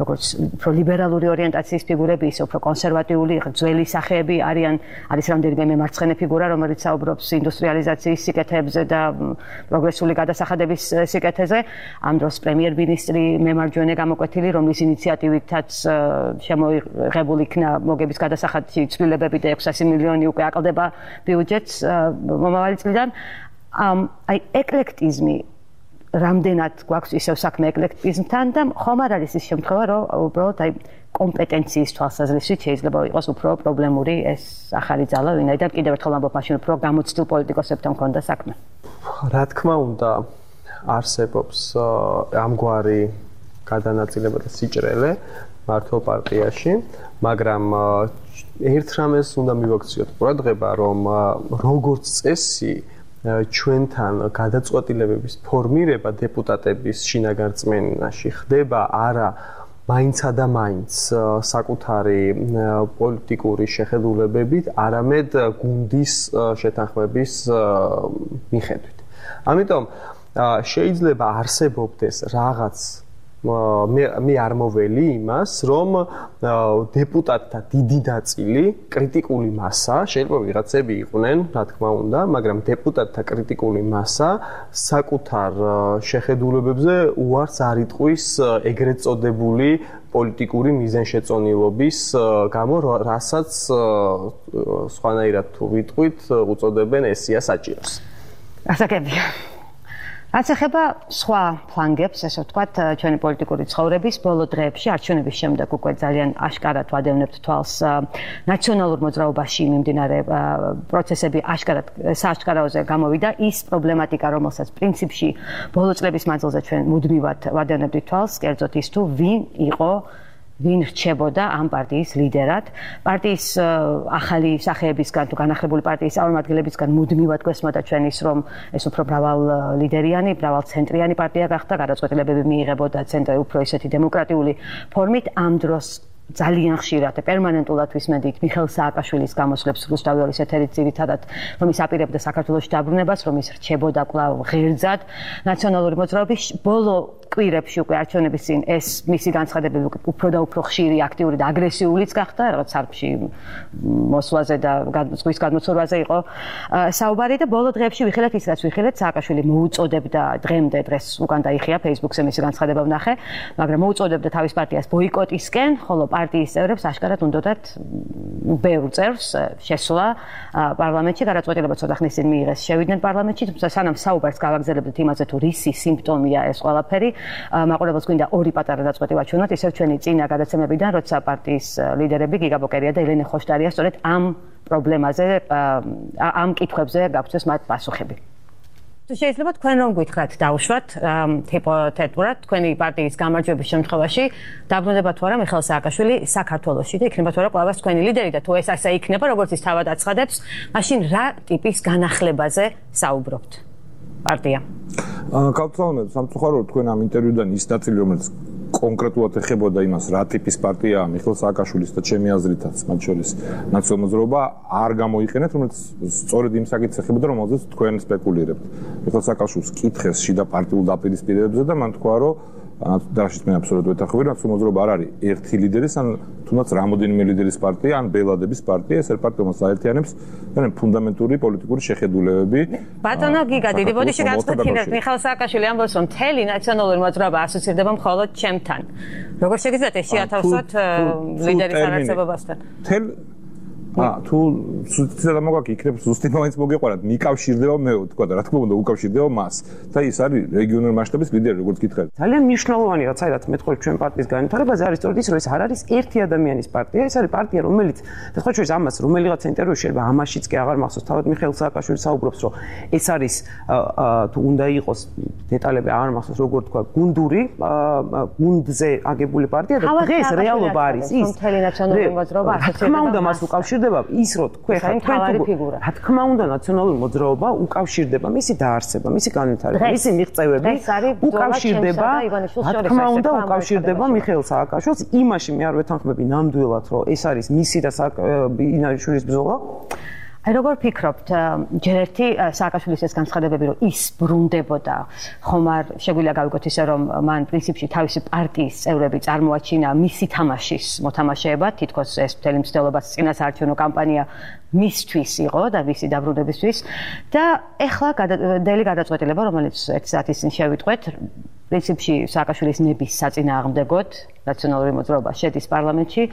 როგორც უფრო ლიბერალური ორიენტაციის ფიგურები, ისე უფრო კონსერვატიული, ძველი სახეები არიან, არის რამდენიმე მემარცხენე ფიგურა, რომელიც საუბრობს ინდუსტრიალიზაციის სიკეთეებზე და პროგრესული გადასახადების სიკეთეზე. ამ დროს პრემიერ-მინისტრი მემარჯვენე გამოკვეთილი, რომლის ინიციატივითაც შემოიღებული იქნა მოგების გადასახადში ცვლილებები და 600 მილიონი უკვე აკლდება ბიუჯეტს მომავალი წლიდან. აი ეკლექტიზმი რამდენად გვაქვს ისევ საქმე ეკლექტიზმთან და ხომ არ არის ის შემთხვევა, რომ უბრალოდ აი კომპეტენციის თვალსაზრისით შეიძლება იყოს უფრო პრობლემური ეს ახალი ძალა, ვინაიდან კიდევ ერთხელ ამბობ, მაშინ უფრო გამოცდილ პოლიტიკოსებთან მქონდა საქმე.
რა თქმა უნდა, არსებობს ამგვარი გადანაწილება და სიჭრელე მართლ პარტიაში, მაგრამ ერთ რამეს უნდა მივაქციოთ ყურადღება, რომ როგორც წესი ჩვენთან გადაწყვეტილებების ფორმირება დეპუტატების შინაგან რწმენაში ხდება არა მაინცა და მაინც საკუთარი პოლიტიკური შეხედულებებით, არამედ გუნდის შეთანხმების მიხედვით. ამიტომ შეიძლება არსებობდეს რაღაც მე არ მოველი იმას, რომ დეპუტატთა დიდი ნაწილი კრიტიკული მასა, შეიძლება ვიღაცები იყვნენ, რა თქმა უნდა, მაგრამ დეპუტატთა კრიტიკული მასა საკუთარ შეხედულებებზე უარს არ იტყვის ეგრეთ წოდებული პოლიტიკური მიზანშეწონილობის გამო, რასაც სხვანაირად თუ ვიტყვით, უწოდებენ ესია საჭიროს.
ასაკებია. რაც ეხება სხვა ფლანგებს, ესე ვთქვათ, ჩვენი პოლიტიკური ცხოვრების ბოლო დღეებში, არჩევნების შემდეგ უკვე ძალიან აშკარად ვადევნებთ თვალს ნაციონალურ მოძრაობაში მიმდინარე პროცესები აშკარად სააშკარაოზე გამოვიდა ის პრობლემატიკა, რომელსაც პრინციპში ბოლო წლების მანძილზე ჩვენ მუდმივად ვადევნებთ თვალს, კერძოდ ის თუ ვინ რჩებოდა ამ პარტიის ლიდერად. პარტიის ახალი სახეებისგან თუ განახლებული პარტიის წარმომადგენლებისგან მუდმივად გვესმოდა ჩვენ ის, რომ ეს უფრო მრავალლიდერიანი, მრავალცენტრიანი პარტია გახდა, გადაწყვეტილებები მიიღებოდა ცენტრი უფრო ისეთი დემოკრატიული ფორმით. ამ დროს ძალიან ხშირად პერმანენტულად ვისმენდით მიხეილ სააკაშვილის გამოსვლებს რუსთავის ეთერით ძირითადად, რომ ის აპირებდა საქართველოს დაბრუნებას, რომ ის რჩებოდა კვლავ ღერძად ნაციონალური მოძრაობის ბოლო კვირებში უკვე არჩევნების წინ ეს მისი განცხადებები უფრო და უფრო ხშირი, აქტიური და აგრესიულიც გახდა, რაღაც სარფში მოსვლაზე და ზღვის გადმოცურვაზე იყო საუბარი და ბოლო დღეებში ვიხილეთ ის, რაც ვიხილეთ, სააკაშვილი მოუწოდებდა დღეს უკან დაიხია Facebook-ზე მისი განცხადება ვნახე, მაგრამ მოუწოდებდა თავის პარტიას ბოიკოტისკენ, ხოლო პარტიის წევრებს აშკარად უნდათ ბევრ წევრს შესვლა პარლამენტში, გადაწყვეტილება ცოტა ხნის წინ მიიღეს, შევიდნენ პარლამენტში, თუმცა სანამ საუბარს გავაგზავნებთ იმაზე თუ რისი სიმპტომია ეს ყველაფერი, მაყურებელს გვინდა ორი პატარა დაწყვეტი ვაჩვენოთ, ისევ ჩვენი წინა გადაცემებიდან, როცა პარტიის ლიდერები გიგა ბოკერია და ელენე ხოშტარია სწორედ ამ პრობლემაზე, ამ კითხვებზე გაგვცეს მათ პასუხები. თუ შეიძლება თქვენ რომ გითხრათ დავუშვათ ჰიპოთეტურად თქვენი პარტიის გამარჯვების შემთხვევაში დაბრუნდება თუ არა მიხეილ სააკაშვილი საქართველოში და იქნება თუ არა კვლავ თქვენი ლიდერი და თუ ეს ასე იქნება, როგორც ის თავად აცხადებს, მაშინ რა ტიპის განახლებაზე საუბრობთ? პარტია.
კავშირი სამწუხაროდ თქვენ ამ ინტერვიუდან ის ნაწილი, რომელიც კონკრეტულად ეხებოდა იმას, რა ტიპის პარტიაა მიხეილ სააკაშვილის და ჩემი აზრითაც, მათ შორის ნაციონალურ მოძრაობა არ გამოიყენეთ, რომელიც სწორედ იმ საკითხს ეხებოდა, რომელზეც თქვენ სპეკულირებთ. მიხეილ სააკაშვილს კითხეს შიდა პარტიულ დაპირისპირებებზე და მან თქვა, რომ დაშიც მე აბსოლუტურად ვეთანხმები, ნაციონალურ მოძრაობა არ არის ერთი ლიდერის, ან თუნდაც რამოდენიმე ლიდერის პარტია, ან ბელადების პარტია, ეს პარტიას საერთიანებს ფუნდამენტური პოლიტიკური შეხედულებები.
ბატონო გიგა, დიდი ბოდიში გაწყვეტინებთ, მიხეილ სააკაშვილი ამბობს, რომ მთელი ნაციონალური მოძრაობა ასოცირდება მხოლოდ ჩემთან. როგორ შეგიძლიათ ეს შეათავსოთ ლიდერის არარსებობასთან?
თუ ცუცდა მოგაკი იქნებ ზუსტი მომენტს მოგეყარათ მიკავშირდება მე თქვა და რა თქმა უნდა უკავშირდება მას და ის არის რეგიონულ მასშტაბის ლიდერი როგორც გითხარით
ძალიან მნიშვნელოვანი რაც არის მე თქვი ჩვენ პარტიის განვითარებაზე არის სწორედ ის რომ ეს არ არის ერთი ადამიანის პარტია ეს არის პარტია რომელიც და სხვა შორის ამას რომელიღაც ინტერვიუში შეიძლება ამაშიც კი აღარ მახსოვს თავად მიხეილ სააკაშვილი საუბრობს რომ ეს არის თუ უნდა იყოს დეტალები აღარ მახსოვს როგორ თქვა გუნდური გუნდზე აგებული პარტია და დღეს რეალობა არის ის
მთელი ნაციონალური მოძრაობა
თქმა უნდა მას უკავშირდება ის რომ თქვენ რა თქმა უნდა ნაციონალური მოძრაობა უკავშირდება მისი დაარსება მისი განვითარება მისი მიღწევები უკავშირდება რა თქმა უნდა უკავშირდება მიხეილ სააკაშვილს იმაში მე არ ვეთანხმები ნამდვილად რომ ეს არის მისი და ინარიშვილის ბრძოლა
აი როგორ ფიქრობთ ჯერ ერთი სააკაშვილის ეს განცხადებები რომ ის ბრუნდებოდა ხომ არ შეგვიძლია გავიგოთ ისე რომ მან პრინციპში თავისი პარტიის წევრები წარმოაჩინა მისი თამაშის მოთამაშეებად თითქოს ეს მთელი მცდელობა წინასაარჩევნო კამპანია მისთვის იყო და მისი დაბრუნებისთვის და ეხლა დელი გადაწყვეტილება რომელიც ერთ საათის წინ შევიტყვეთ პრინციპში სააკაშვილის ნების საწინააღმდეგოდ ნაციონალური მოძრაობა შედის პარლამენტში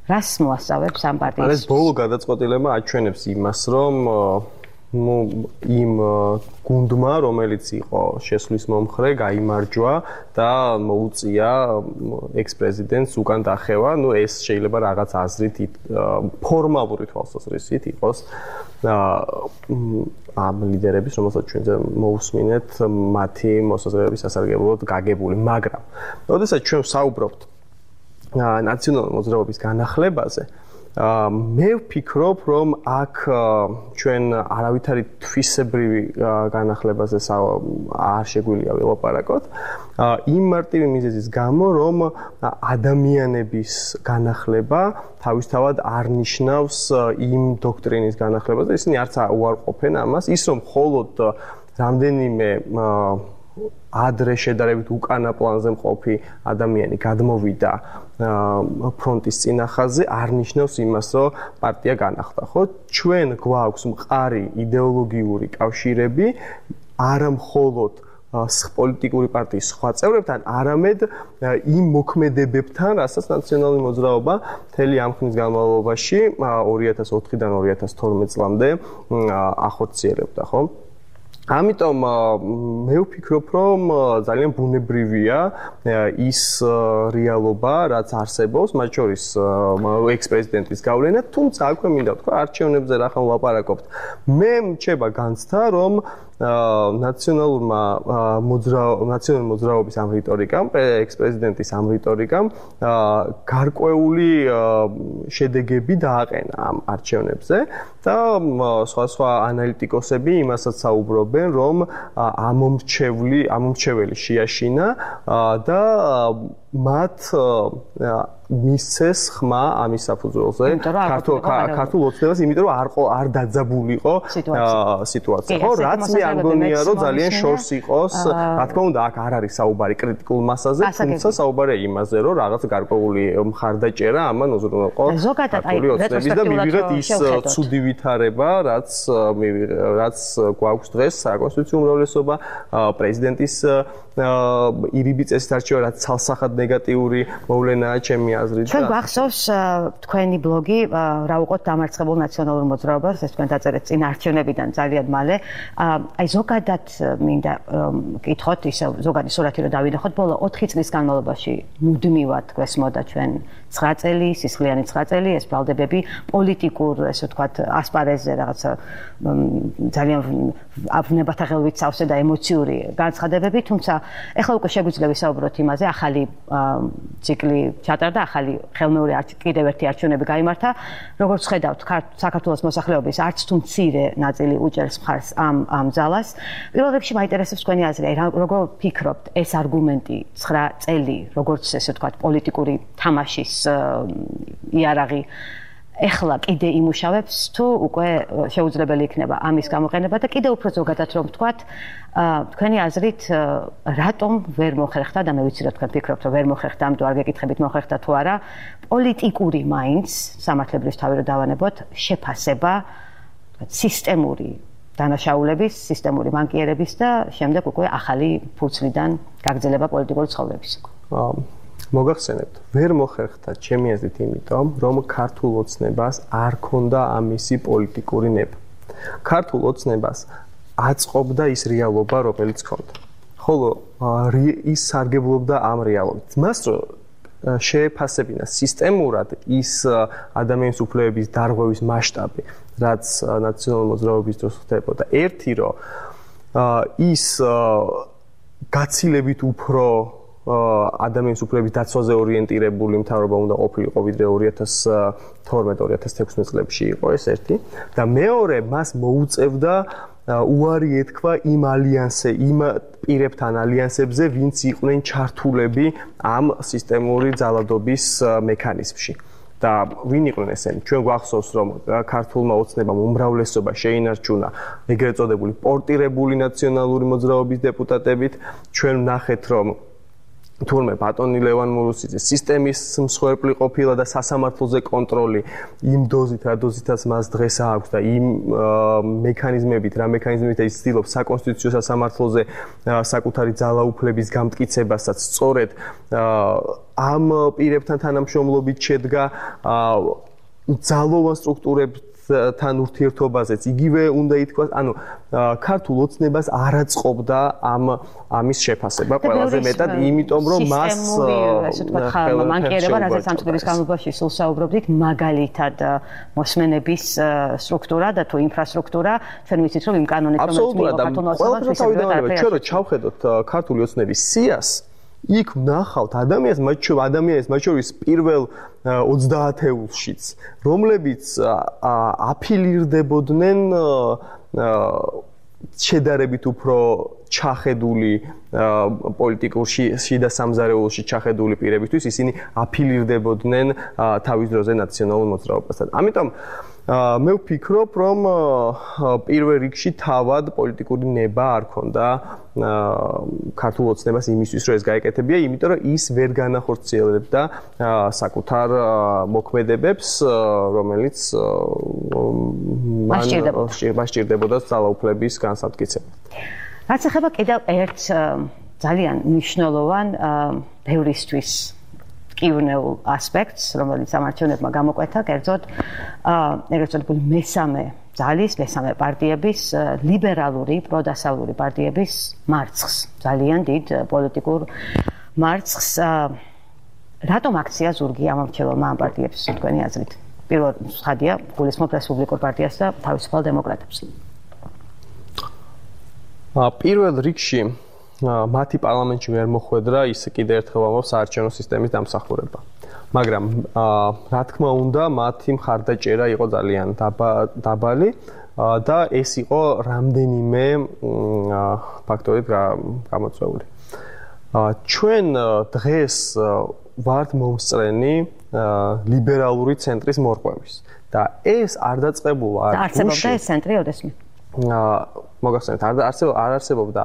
რას მოასწავებს ამ პარტიის?
ეს ბოლო გადაწყვეტილება აჩვენებს იმას, რომ იმ გუნდმა, რომელიც იყო შესვლის მომხრე, გაიმარჯვა და მოუწია ექს-პრეზიდენტს უკან დახევა. ეს შეიძლება რაღაც აზრით ფორმალური თვალსაზრისით იყოს ამ ლიდერების, რომელსაც ჩვენ მოусმინეთ, მათი მოსაზრებების სასარგებლოდ გაგებული, მაგრამ როდესაც ჩვენ საუბრობთ ნაციონალური მოძრაობის განახლებაზე მე ვფიქრობ რომ აქ ჩვენ არავითარი თვისებრივი განახლებაზე არ შეგვიძლია ველაპარაკოთ იმ მარტივი მიზეზის გამო რომ ადამიანების განახლება თავისთავად არ ნიშნავს იმ დოქტრინის განახლებაზე ისინი არც უარყოფენ ამას ის რომ მხოლოდ რამდენიმე ადრე შედარებით უკანა პლანზე მყოფი ადამიანი გადმოვიდა ფრონტის წინახაზე არ ნიშნავს იმას, რომ პარტია განახლდა, ხო? ჩვენ გვაქვს მყარი იდეოლოგიური კავშირები, არა მხოლოდ პოლიტიკური პარტიის სხვა წევრებთან, არამედ იმ მოქმედებებთან, რასაც ნაციონალური მოძრაობა მთელი ამ ხნის განმავლობაში 2004-დან 2012 წლამდე ახორციელებდა, ხო? ამიტომ მე ვფიქრობ, რომ ძალიან ბუნებრივია ის რეალობა, რაც არსებობს, მათ შორის ექს-პრეზიდენტის გავლენა, თუმცა აქვე მინდა ვთქვა, არჩევნებზე რა ხომ ვლაპარაკობთ. მე მრჩება განცდა, რომ ნაციონალური მოძრაობის ამ რიტორიკამ, ექს-პრეზიდენტის ამ რიტორიკამ გარკვეული შედეგები დააყენა ამ არჩევნებზე და სხვა ანალიტიკოსები იმასაც საუბრობენ, რომ ამომრჩეველი შეაშინა და მათ მისცეს ხმა ამის საფუძველზე ქართულ ოცნებას, იმიტომ რომ არ დაძაბულიყო სიტუაცია. ხო, რაც მე არ მგონია, რომ ძალიან შორს იყოს, რა თქმა უნდა, აქ არ არის საუბარი კრიტიკულ მასაზე, თუმცა საუბარია იმაზე, რომ რაღაც გარკვეული მხარდაჭერა ამან უზრუნველყო ქართული ოცნების და მივიღეთ ის ცუდი ვითარება, რაც გვაქვს დღეს საკონსტიტუციო უმრავლესობა, პრეზიდენტის ირიბი წესით არჩევა, რაც ცალსახად ნეგატიური მოვლენაა ჩემი აზრით.
ჩვენ გვახსოვს თქვენი ბლოგი რა უყოთ დამარცხებულ ნაციონალურ მოძრაობას, ეს თქვენ დაწერეთ წინ არჩევნებიდან ძალიან მალე. აი ზოგადად მინდა კითხოთ ისე ზოგადი სურათი რომ დავინახოთ, ბოლო 4 წლის განმავლობაში მუდმივად გვესმოდა ჩვენ 9 წელი, სისხლიანი 9 წელი, ეს ბრალდებები პოლიტიკურ, ესე ვთქვათ, ასპარეზზე რაღაცა ძალიან ავნებათა ღელვით სავსე და ემოციური განცხადებები, თუმცა ეხლა უკვე შეგვიძლია ვისაუბროთ იმაზე, ახალი ციკლი ჩატარდა, ახალი ხელმეორე კიდევ ერთი არჩევნები გაიმართა. როგორც ხედავთ, საქართველოს მოსახლეობის არც თუ მცირე ნაწილი უჭერს მხარს ამ ძალას. პირველ რიგში მაინტერესებს თქვენი აზრი, როგორ ფიქრობთ, ეს არგუმენტი 9 წელი, როგორც ესე ვთქვათ, პოლიტიკური თამაშის იარაღი ეხლა კიდე იმუშავებს თუ უკვე შეუძლებელი იქნება ამის გამოყენება და კიდე უფრო ზოგადად რომ ვთქვათ, თქვენი აზრით რატომ ვერ მოხერხდა და მე ვიცი რომ თქვენ ფიქრობთ რომ ვერ მოხერხდა, ამიტომ არ გეკითხებით მოხერხდა თუ არა, პოლიტიკური მაინც სამართლებრივ თავი რომ დავანებოთ, შეფასება სისტემური დანაშაულების, სისტემური მანკიერების და შემდეგ უკვე ახალი ფურცლიდან გაგრძელება პოლიტიკური ცხოვრების.
მოგახსენებთ, ვერ მოხერხდა ჩემი აზრით იმიტომ, რომ ქართულ ოცნებას არ ქონდა ამისი პოლიტიკური ნება. ქართულ ოცნებას აწყობდა ის რეალობა, რომელიც ქონდა. ხოლო ის სარგებლობდა ამ რეალობით. მას შეეფასებინა სისტემურად ის ადამიანის უფლებების დარღვევის მასშტაბი, რაც ნაციონალური მოძრაობის დროს ხდებოდა. ერთი რომ ის გაცილებით უფრო ადამიანის უფლებების დაცვაზე ორიენტირებული მთავრობა უნდა ყოფილიყო ვიდრე 2012-2016 წლებში იყო ეს ერთი და მეორე მას მოუწევდა უარი ეთქვა იმ პირებთან ალიანსებზე, ვინც იყვნენ ჩართულები ამ სისტემური ძალადობის მექანიზმში. და ვინ იყვნენ ესენი? ჩვენ გვახსოვს, რომ ქართულმა ოცნებამ უმრავლესობა შეინარჩუნა ეგრეთ წოდებული პორტირებული ნაციონალური მოძრაობის დეპუტატებით. ჩვენ ვნახეთ, რომ თურმე ბატონი ლევან მურუსიძე სისტემის მსხვერპლი ყოფილა და სასამართლოზე კონტროლი იმ დოზით, რა დოზითაც მას დღეს აქვს და იმ მექანიზმებით, რა მექანიზმებით ის ცდილობს საკონსტიტუციო სასამართლოზე საკუთარი ძალაუფლების გამტკიცებასაც სწორედ ამ პირებთან თანამშრომლობით შედგა ძალოვან სტრუქტურებთან ურთიერთობაზეც იგივე უნდა ითქვას, ანუ ქართულ ოცნებას არ აწყობდა ამის შეფასება ყველაზე მეტად, იმიტომ რომ მას
ასე ვთქვათ, მანკიერება, რასაც ამ წლების განმავლობაში სულ საუბრობდით, მაგალითად მოსმენების სტრუქტურა და თუ ინფრასტრუქტურა, ჩვენ ვიცით, რომ იმ კანონით, რომელიც მიიღო ქართულმა ოცნებამ,
ჩვენ რო ჩავხედოთ ქართული ოცნების სიას, იქ ვნახავთ ადამიანის მათ შორის პირველ 30-ეულშიც, რომლებიც აფილირდებოდნენ შედარებით უფრო ჩახედული პოლიტიკურ შიდა სამზარეულოში ჩახედული პირებისთვის, ისინი აფილირდებოდნენ თავის დროზე ნაციონალურ მოძრაობასთან. ამიტომ მე ვფიქრობ, რომ პირველ რიგში თავად პოლიტიკური ნება არ ქონდა ქართულ ოცნებას იმისთვის, რომ ეს გაეკეთებია, იმიტომ რომ ის ვერ განახორციელებდა საკუთარ მოქმედებებს, რომელიც მას სჭირდებოდა ძალაუფლების განსამტკიცება.
რაც ეხება კიდევ ერთ ძალიან მნიშვნელოვან ბევრისთვის კიურნეულ ასპექტს, რომელიც სამართლებმა გამოკვეთა, კერძოდ ეგრეთ წოდებული მესამე პარტიების, ლიბერალური, პროდასავლური პარტიების მარცხს, ძალიან დიდ პოლიტიკურ მარცხს. რატომ აქცია ზურგი ამორჩეველმა ამ პარტიებს, თქვენი აზრით? პირველ ხადია გულისხმობ რესპუბლიკურ პარტიას და თავისუფალ დემოკრატებს.
პირველ რიგში მათი პარლამენტში ვერ მოხვედრა ის კიდევ ერთხელ ვამბობ საარჩევნო სისტემის დამსახურება. მაგრამ რა თქმა უნდა, მათი მხარდაჭერა იყო ძალიან დაბალი და ეს იყო რამდენიმე ფაქტორით გამოწვეული. ჩვენ დღეს ვართ მომსწრენი ლიბერალური ცენტრის მორღვევის და ეს არ დაწყებულა
არ არსებობდა ეს ცენტრი ოდესმე.
მოგახსენეთ, არ არსებობდა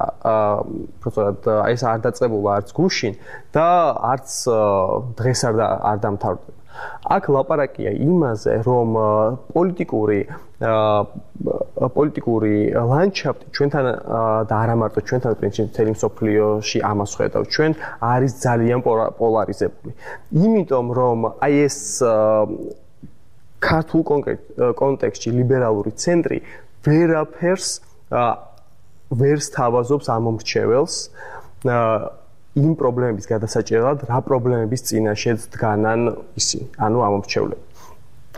პროცედურად ეს არ დაწყებულა არც გუშინ და არც დღეს არ დამთავრდება. აქ ლაპარაკია იმაზე, რომ პოლიტიკური ლანდშაფტი ჩვენთან და არა მარტო ჩვენთან, პრინციპში მთელი მსოფლიოში ამას ხედავთ, ჩვენ არის ძალიან პოლარიზებული. იმიტომ რომ აი ეს ქართულ კონტექსტში ლიბერალური ცენტრი ვერაფერს ვერ სთავაზობს ამომრჩეველს იმ პრობლემების გადასაჭერად, რა პრობლემების წინაშე დგანან ისინი, ანუ ამომრჩევლები.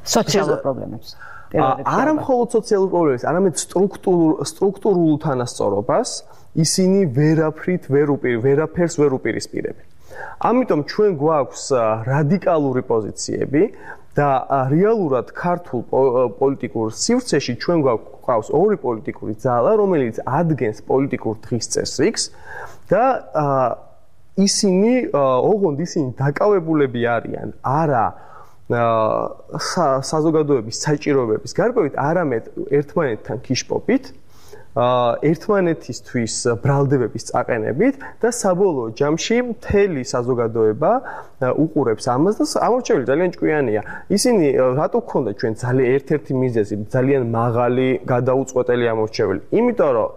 სოციალურ პრობლემებს.
არა მხოლოდ სოციალურ პრობლემებს, არამედ სტრუქტურულ თანასწორობას ისინი ვერაფერს ვერ უპირისპირებენ. ამიტომ ჩვენ გვაქვს რადიკალური პოზიციები და რეალურად ქართულ პოლიტიკურ სივრცეში ჩვენ გვაქვს ორი პოლიტიკური ძალა, რომელიც ადგენს პოლიტიკურ დღის წესრიგს და ისინი დაკავებულები არიან არა საზოგადოების საჭიროებების გარკვევით, არამედ ერთმანეთთან ქიშპობით, ერთმანეთისთვის ბრალდებების წაყენებით და საბოლოო ჯამში მთელი საზოგადოება უყურებს ამას და ამორჩეველი ძალიან ჭკვიანია. ისინი რატო გქონდა ჩვენ ერთ-ერთი მიზეზი ძალიან მაღალი გადაუწყვეტელი ამორჩეველი? იმიტომ რომ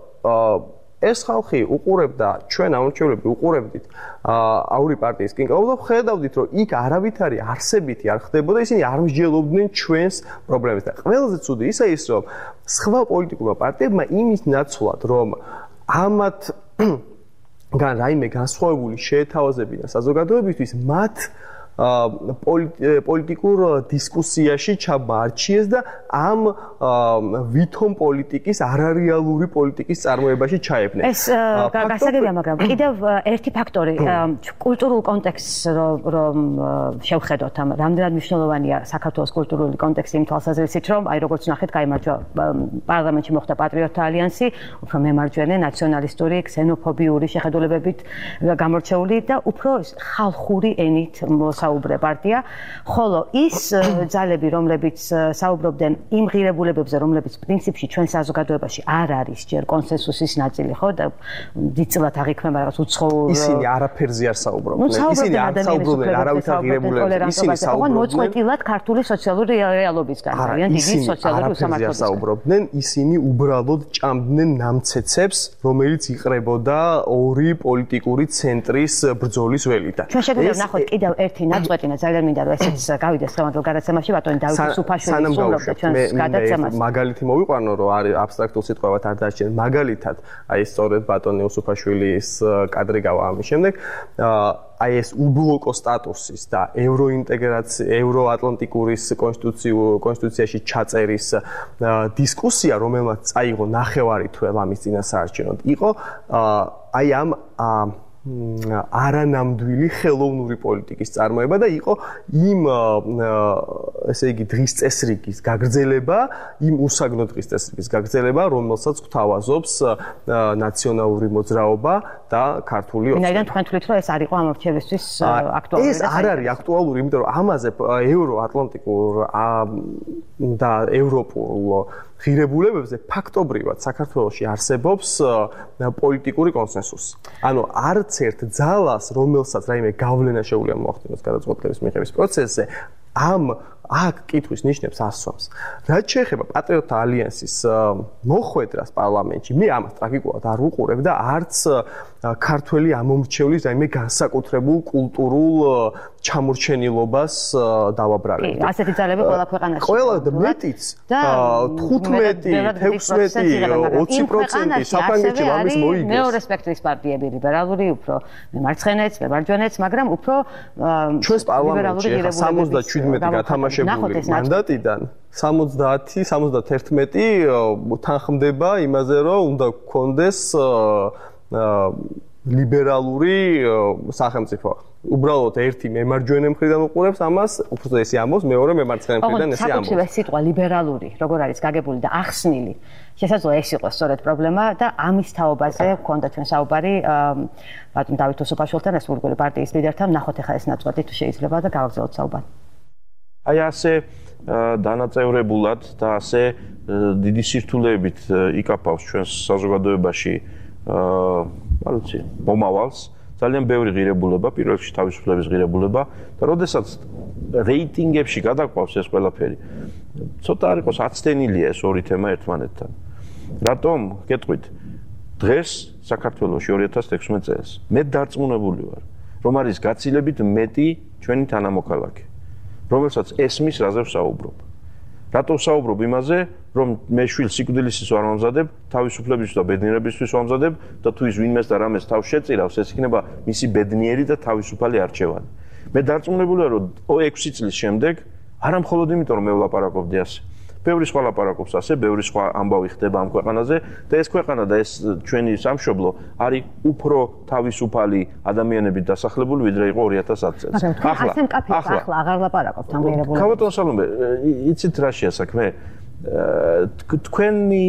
ეს ხალხი უყურებდა ჩვენ ამორჩევლები უყურებდით აური პარტიის კინკაუბს და ხედავდით რომ იქ არავითარი არსებითი არ ხდებოდა ისინი არ მსჯელობდნენ ჩვენს პრობლემებს და ყველაზე ცუდი ისა ის რომ სხვა პოლიტიკურმა პარტიებმა იმის ნაცვლად რომ ამათ რაიმე განსხვავებული შეეთავაზებინა საზოგადოებისთვის მათ პოლიტიკურ დისკუსიაში ჩაბარჩიეს და ამ ვითომ პოლიტიკის არარეალური პოლიტიკის წარმოებაში ჩაებნენ.
ეს გასაგებია, მაგრამ კიდევ ერთი ფაქტორი კულტურულ კონტექსტს რომ შევხედოთ, ამ რამდენად მნიშვნელოვანია საქართველოს კულტურული კონტექსტი იმ თვალსაზრისით, რომ აი როგორც ნახეთ, გაიმარჯვა პარლამენტში მოხდა პატრიოტთა ალიანსი, უფრო მემარჯვენე ნაციონალისტური, ქსენოფობიური შეხედულებებით გამორჩეული და უფრო ხალხური ენით საუბრე პარტია, ხოლო ის ძალები, რომლებიც საუბრობდნენ იმ ღირებულებებზე, რომლებიც პრინციპში ჩვენ საზოგადოებაში არ არის ჯერ კონსენსუსის ნაწილი, ხო და დიდწილად აღიქმება რაღაც უცხოურ
ისინი არაფერზე არ საუბრობდნენ. ისინი არ საუბრობდნენ არავითარ ღირებულებებზე, ისინი საუბრობდნენ
მოწყვეტილად ქართული სოციალური რეალობისგან, ძალიან დიდი სოციალური უსამართლობისგან.
საუბრობდნენ, ისინი უბრალოდ ჭამდნენ ნამცეცებს, რომელიც იყრებოდა ორი პოლიტიკური ცენტრის ბრძოლის ველიდან.
ჩვენ შეგვიძლია ვნახოთ კიდევ ერთი ნაწყვეტინა ძალიან მინდა რომ ესეც გავიდეს სამართალ გადაცემაში ბატონი დავით სუფაშვილი სრულობდა ჩვენს გადაცემას.
მაგალითი მოვიყვანო რომ არის აბსტრაქტულ სიტყვებად არ დარჩენ. მაგალითად, აი სწორედ ბატონი სუფაშვილის კადრი გავა ამის შემდეგ აი ეს უბლოკო სტატუსის და ევროინტეგრაცია, ევროატლანტიკურის კონსტიტუციაში ჩაწერის დისკუსია, რომელმაც წაიღო ნახევარი თვე ამის წინასაარჩევნოდ, იყო აი ამ არანამდვილი ხელოვნური პოლიტიკის წარმოება და იყო იმ ესე იგი დღის წესრიგის გაგრძელება, იმ უსაგნო დღის წესრიგის გაგრძელება, რომელსაც გვთავაზობს ნაციონალური მოძრაობა და ქართული ოცნება.
ვინაიდან თქვენ თვლით, რომ ეს არ იყო ამორჩევისთვის აქტუალური?
ეს არ არის აქტუალური, იმიტომ რომ ამაზე ევროატლანტიკურ და ევროპულ ღირებულებებზე ფაქტობრივად საქართველოში არსებობს პოლიტიკური კონსენსუსი. ანუ არც ერთ ძალას, რომელსაც რაიმე გავლენა შეუძლია მოახდინოს გადაწყვეტილების მიღების პროცესზე, აქ კითხვის ნიშნებს ასვამს. რაც შეეხება პატრიოტთა ალიანსის მოხვედრას პარლამენტში, მე ამას ტრაგიკულად არ ვუყურებ და არც ქართველი ამომრჩევლის რაიმე განსაკუთრებულ კულტურულ ჩამორჩენილობას დავაბრალებ.
კი, ასეთი ძალები ყველა ქვეყანაში.
ყველა და მეტიც 15, 16, 20% საფრანგეთში ამის მოიგებს.
მეორე სპექტრის პარტიები, ლიბერალური, უფრო მემარცხენეც, მემარჯვენეც, მაგრამ უფრო
ჩვენს პარლამენტში 77 გათამაშებული მანდატიდან 70-71 თანხმდება იმაზე, რომ უნდა გქონდეს ლიბერალური სახელმწიფო. უბრალოდ ერთი მემარჯვენე მხრიდან უყურებს ამას, უფრო ესე ამბობს, მეორე მემარცხენე მხრიდან ესე ამბობს.
საკუთრივ ეს სიტყვა ლიბერალური, როგორ არის გაგებული და ახსნილი, შესაძლოა ეს იყოს სწორედ პრობლემა და ამის თაობაზე გვქონდა ჩვენ საუბარი ბატონ დავით უსუფაშვილთან, რესპუბლიკური პარტიის ლიდერთან, ნახოთ ახლა ეს ნაწყვეტი თუ შეიძლება და გავაგრძელოთ საუბარი.
აი ასე დანაწევრებულად და ასე დიდი სირთულეებით იკაფავს ჩვენს საზოგადოებაში არ ვიცი, მომავალს, ძალიან ბევრი ღირებულება, პირველ რიგში თავისუფლების ღირებულება და როდესაც რეიტინგებში გადაყვავს ეს ყველაფერი, ცოტა არ იყოს აცდენილია ეს ორი თემა ერთმანეთთან. რატომ? გეტყვით, დღეს საქართველოში 2016 წელს მე დარწმუნებული ვარ, რომ არის გაცილებით მეტი ჩვენი თანამოქალაქე, რომელსაც ესმის რაზე ვსაუბრობ. რატო ვსაუბრობ იმაზე, რომ მე შვილს სიკვდილისთვის არ ვამზადებ, თავისუფლებისთვის და ბედნიერებისთვის ვამზადებ და თუ ის ვინმეს და რამეს თავს შეწირავს, ეს იქნება მისი ბედნიერი და თავისუფალი არჩევანი. მე დარწმუნებულია, რომ 6 წლის შემდეგ, არა მხოლოდ იმიტომ, რომ მე ვლაპარაკობდი ასე. ბევრი სხვა ლაპარაკობს ასე, ბევრი სხვა ამბავი ხდება ამ ქვეყანაზე და ეს ქვეყანა და ეს ჩვენი სამშობლო არის უფრო თავისუფალი ადამიანებით დასახლებული, ვიდრე იყო 2010 წელს.
ახლა აღარ ლაპარაკობთ ამ ღირებულებებზე.
ქალბატონ სალომე, იცით რა შეასაქმე? თქვენი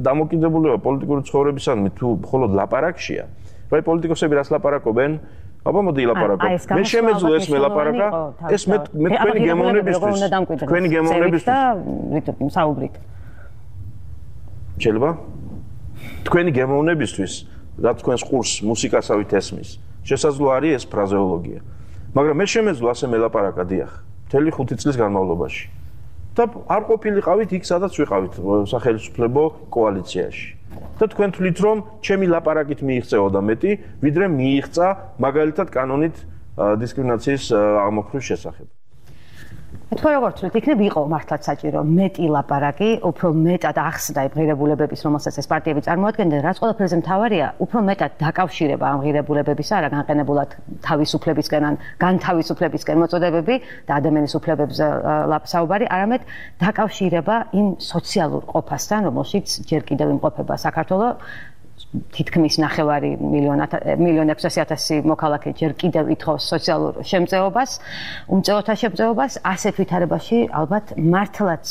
დამოკიდებულება პოლიტიკური ცხოვრებისადმი თუ მხოლოდ ლაპარაკშია, რა პოლიტიკოსები რას ლაპარაკობენ? აბა მოდი ლაპარაკობ. მე შემეძლო ეს მელაპარაკა, ეს მე თქვენი გემოვნებისთვის. თქვენი გემოვნებისთვის
და საუბრით.
შეიძლება? თქვენი გემოვნებისთვის, რაც თქვენს ყურს მუსიკასავით ესმის. შესაძლოა არის ეს ფრაზეოლოგია. მაგრამ მე შემეძლო ასე მელაპარაკა, დიახ, მთელი 5 წლის განმავლობაში. და არ ყოფილიყავით იქ, სადაც ვიყავით სახელმწიფო კოალიციაში. და თქვენ თვლით, რომ ჩემი ლაპარაკით მიიღწეოდა მეტი, ვიდრე მიიღწა მაგალითად კანონით დისკრიმინაციის აღმოფხვის შესახებ.
თქვენ როგორ თვლით, იქნებ იყო მართლაც საჭირო მეტი ლაპარაკი, უფრო მეტად ახსნა იმ ღირებულებების, რომელსაც ეს პარტიები წარმოადგენდნენ, რაც ყველაფერზე მთავარია, უფრო მეტად დაკავშირება ამ ღირებულებებისა, არა განყენებულად თავისუფლებისკენ ან განთავისუფლებისკენ მოწოდებები და ადამიანის უფლებებზე საუბარი, არამედ დაკავშირება იმ სოციალურ ყოფასთან, რომელშიც ჯერ კიდევ იმყოფება საქართველო. თითქმის 9,600,000 მოქალაქე ჯერ კიდევ ითხოვს სოციალურ შემწეობას, უმწეოთა შემწეობას, ასეთ ვითარებაში ალბათ მართლაც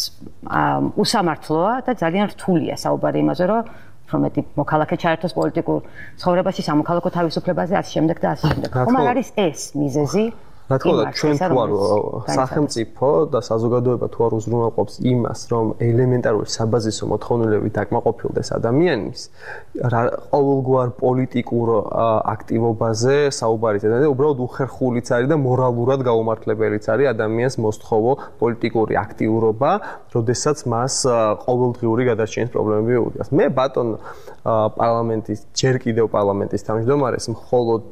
უსამართლოა და ძალიან რთულია საუბარი იმაზე, რომ უფრო მეტი მოქალაქე ჩაერთოს პოლიტიკურ ცხოვრებაში, სამოქალაქო თავისუფლებაზე, ასე შემდეგ და ასე შემდეგ. ხომ არ არის ეს მიზეზი?
რა თქმა უნდა, ჩვენ თუ არ სახელმწიფო და საზოგადოება თუ არ უზრუნველყოფს იმას, რომ ელემენტარული საბაზისო მოთხოვნილებით დაკმაყოფილდეს ადამიანის, ყოველგვარ პოლიტიკურ აქტივობაზე საუბარიც და უბრალოდ უხერხულიც არის და მორალურად გაუმართლებელიც არის ადამიანს მოსთხოვო პოლიტიკური აქტიურობა, როდესაც მას ყოველდღიური გადარჩენის პრობლემები უდგას. მე ბატონ პარლამენტის, ჯერ კიდევ პარლამენტის თავმჯდომარეს მხოლოდ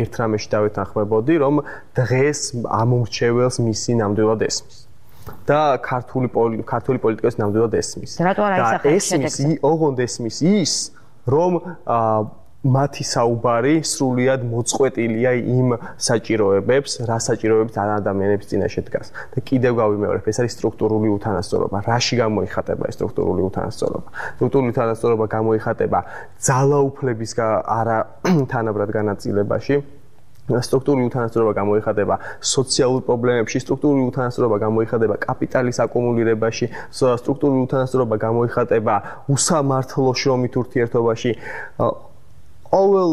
ერთ რამეში დავეთანხმებოდი, რომ დღეს ამომრჩეველს მისი ნამდვილად ესმის. და ქართული პოლიტიკოს ნამდვილად ესმის. და ესმის, ოღონდ ესმის ის, რომ მათი საუბარი სრულიად მოწყვეტილია იმ საჭიროებებს, რა საჭიროებებს ადამიანების წინაშე დგას. და კიდევ გავიმეორებ, ეს არის სტრუქტურული უთანასწორობა. რაში გამოიხატება ეს სტრუქტურული უთანასწორობა? სტრუქტურული უთანასწორობა გამოიხატება ძალაუფლების არა თანაბრად განაწილებაში. სტრუქტურული უთანასწორობა გამოიხატება სოციალურ პრობლემებში, სტრუქტურული უთანასწორობა გამოიხატება კაპიტალის აკუმულირებაში, სტრუქტურული უთანასწორობა გამოიხატება უსამართლო შრომით ურთიერთობაში. ყოველ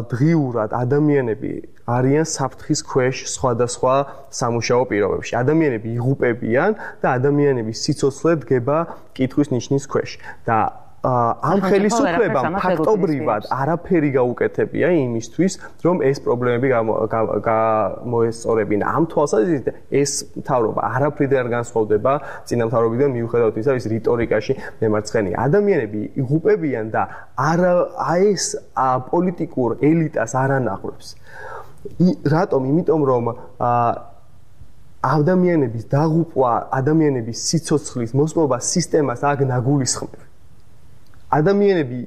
დღიურად ადამიანები არიან საფრთხის ქვეშ სხვადასხვა სამუშაო პირობებში. ადამიანები იღუპებიან და ადამიანების სიცოცხლე დგება კითხვის ნიშნის ქვეშ. და ამ ხელისუფლებამ ფაქტობრივად არაფერი გაუკეთებია იმისთვის, რომ ეს პრობლემები გამოესწორებინა. ამ თვალსაზრისით ეს მთავრობა არაფრით არ განსხვავდება წინა მთავრობიდან, მიუხედავად ისა, ის რიტორიკაში მემარცხენეა. ადამიანები იღუპებიან და ეს პოლიტიკურ ელიტას არ ანახავს. რატომ? იმიტომ რომ ადამიანების დაღუპვა, ადამიანების სიცოცხლის მოსპობა სისტემას აქ ნაგულისხმებს. ადამიანები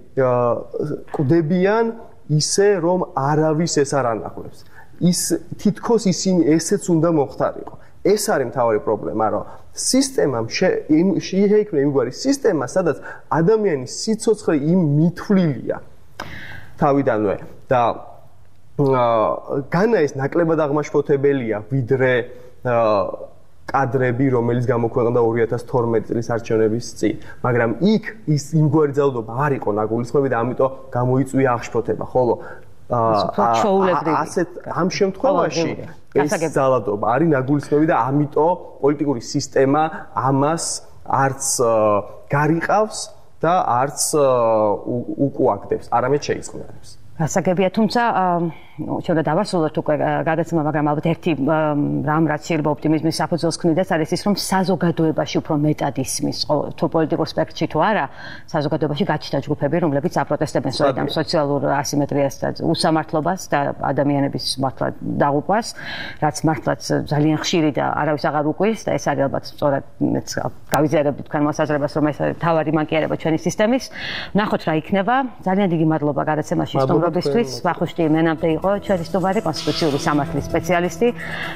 კვდებიან ისე, რომ არავის ეს არ ანახავს. თითქოს ისინი ესეც უნდა მოხდარიყო. ეს არის მთავარი პრობლემა, რომ სისტემამ შეიქმნა იმგვარი სისტემა, სადაც ადამიანის სიცოცხლე იმ მითვლილია თავიდანვე და განა ეს ნაკლებად აღმაშფოთებელია, ვიდრე კადრები, რომელიც გამოქვეყნდა 2012 წლის არჩევნების წინ, მაგრამ იქ ის იმგვარი ძალადობა არ იყო ნაგულისხმები და ამიტომ გამოიწვია აღშფოთება, ხოლო ასეთ ამ შემთხვევაში ეს ძალადობა არის ნაგულისხმები და ამიტომ პოლიტიკური სისტემა ამას არც გარიყავს და არც უკუაგდებს, არამედ შეიწყნარებს.
გასაგებია, თუმცა შეიძლება დავასრულოთ უკვე გადაცემა, მაგრამ ალბათ ერთი რამ რაც შეიძლება ოპტიმიზმის საფუძველს ქმნიდეს, არის ის, რომ საზოგადოებაში უფრო მეტად ისმის, თუ პოლიტიკურ სპექტრში თუ არა, საზოგადოებაში გაჩნდა ჯგუფები, რომლებიც აპროტესტებენ სწორედ ამ სოციალურ ასიმეტრიას და უსამართლობას და ადამიანების მართლა დაღუპვას, რაც მართლაც ძალიან ხშირი და არავის აღარ უკვირს და ეს არის ალბათ სწორად გავიზიარებთ თქვენ მოსაზრებას, რომ ეს არის თავარი მანკიერება ჩვენი სისტემის. ვნახოთ რა იქნება. ძალიან დიდი მადლობა გადაცემაში სტუმრობისთვის. ვახუშტი მენამდე იყო ჩვენი სტუმარი, კონსტიტუციური სამართლის სპეციალისტი.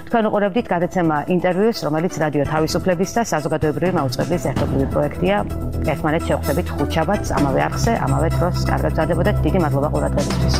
თქვენ უყურებდით გადაცემა ინტერვიუს, რომელიც რადიო თავისუფლების და საზოგადოებრივი მაუწყებლის ერთობლივი პროექტია. ერთმანეთს შევხვდებით ხუთშაბათს ამავე არხზე, ამავე დროს. კარგად გრძელდებოდეთ. დიდი მადლობა ყურადღებისთვის.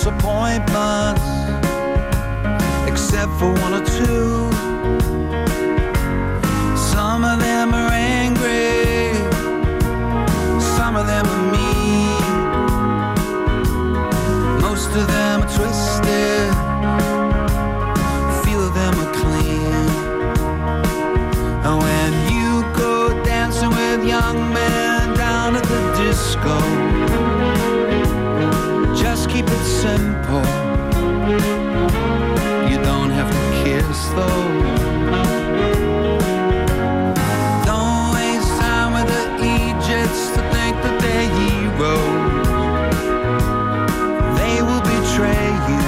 disappointments, except for one or two. Some of them are angry, some of them are mean, most of them are twisted, few of them are clean. And when you go dancing with young men down at the disco, just keep it simple. You don't have to kiss though. Don't waste time with the Egypts to think that they're heroes. They will betray you.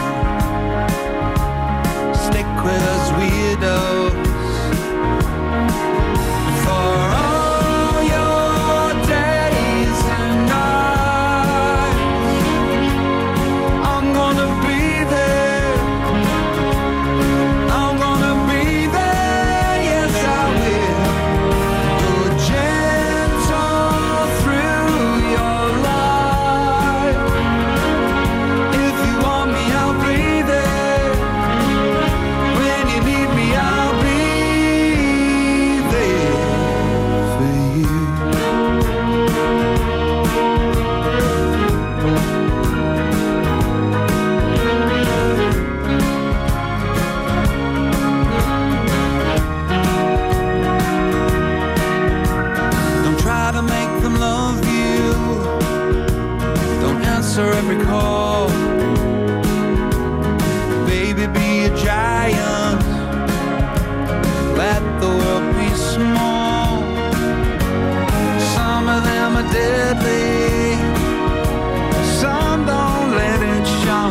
Stick with us weirdos. For all your days and nights, I'm gonna be there. I'm gonna be there, yes I will. Go gentle through your life. If you want me, I'll be there. When you need me, I'll be there for you. Don't try to make them love you. Don't answer every call. Baby, be a giant. Let the world be small. Some of them are deadly. Some don't let it show.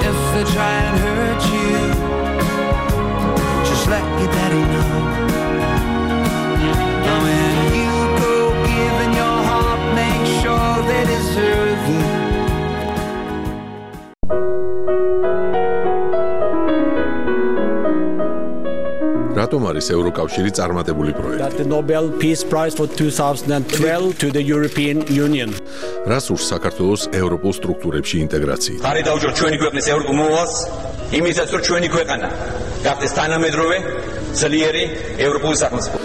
If they try and hurt you, just let your daddy know. And when you go giving your heart, make sure they deserve it.
რატომ არის ევროკავშირი წარმატებული პროექტი?
That the Nobel Peace Prize for 2012 to the European Union.
რას ურს საქართველოს ევროპულ სტრუქტურებში ინტეგრაციით?
ხარი დაუჯოთ ჩვენი ქვეყნის ევროპულ მოვალს, იმისაც რომ ჩვენი ქვეყანა გახდეს თანამედროვე, ძლიერი ევროპული სახელმწიფო.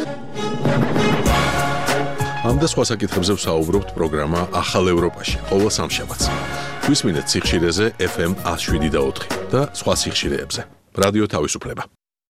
ამ და სხვა საკითხებზე ვსაუბრობთ პროგრამა ახალ ევროპაში, ყოველ სამშაბათს. გვისმინეთ სიხშირეზე FM 107.4 და სხვა სიხშირეებზე. რადიო თავისუფლება.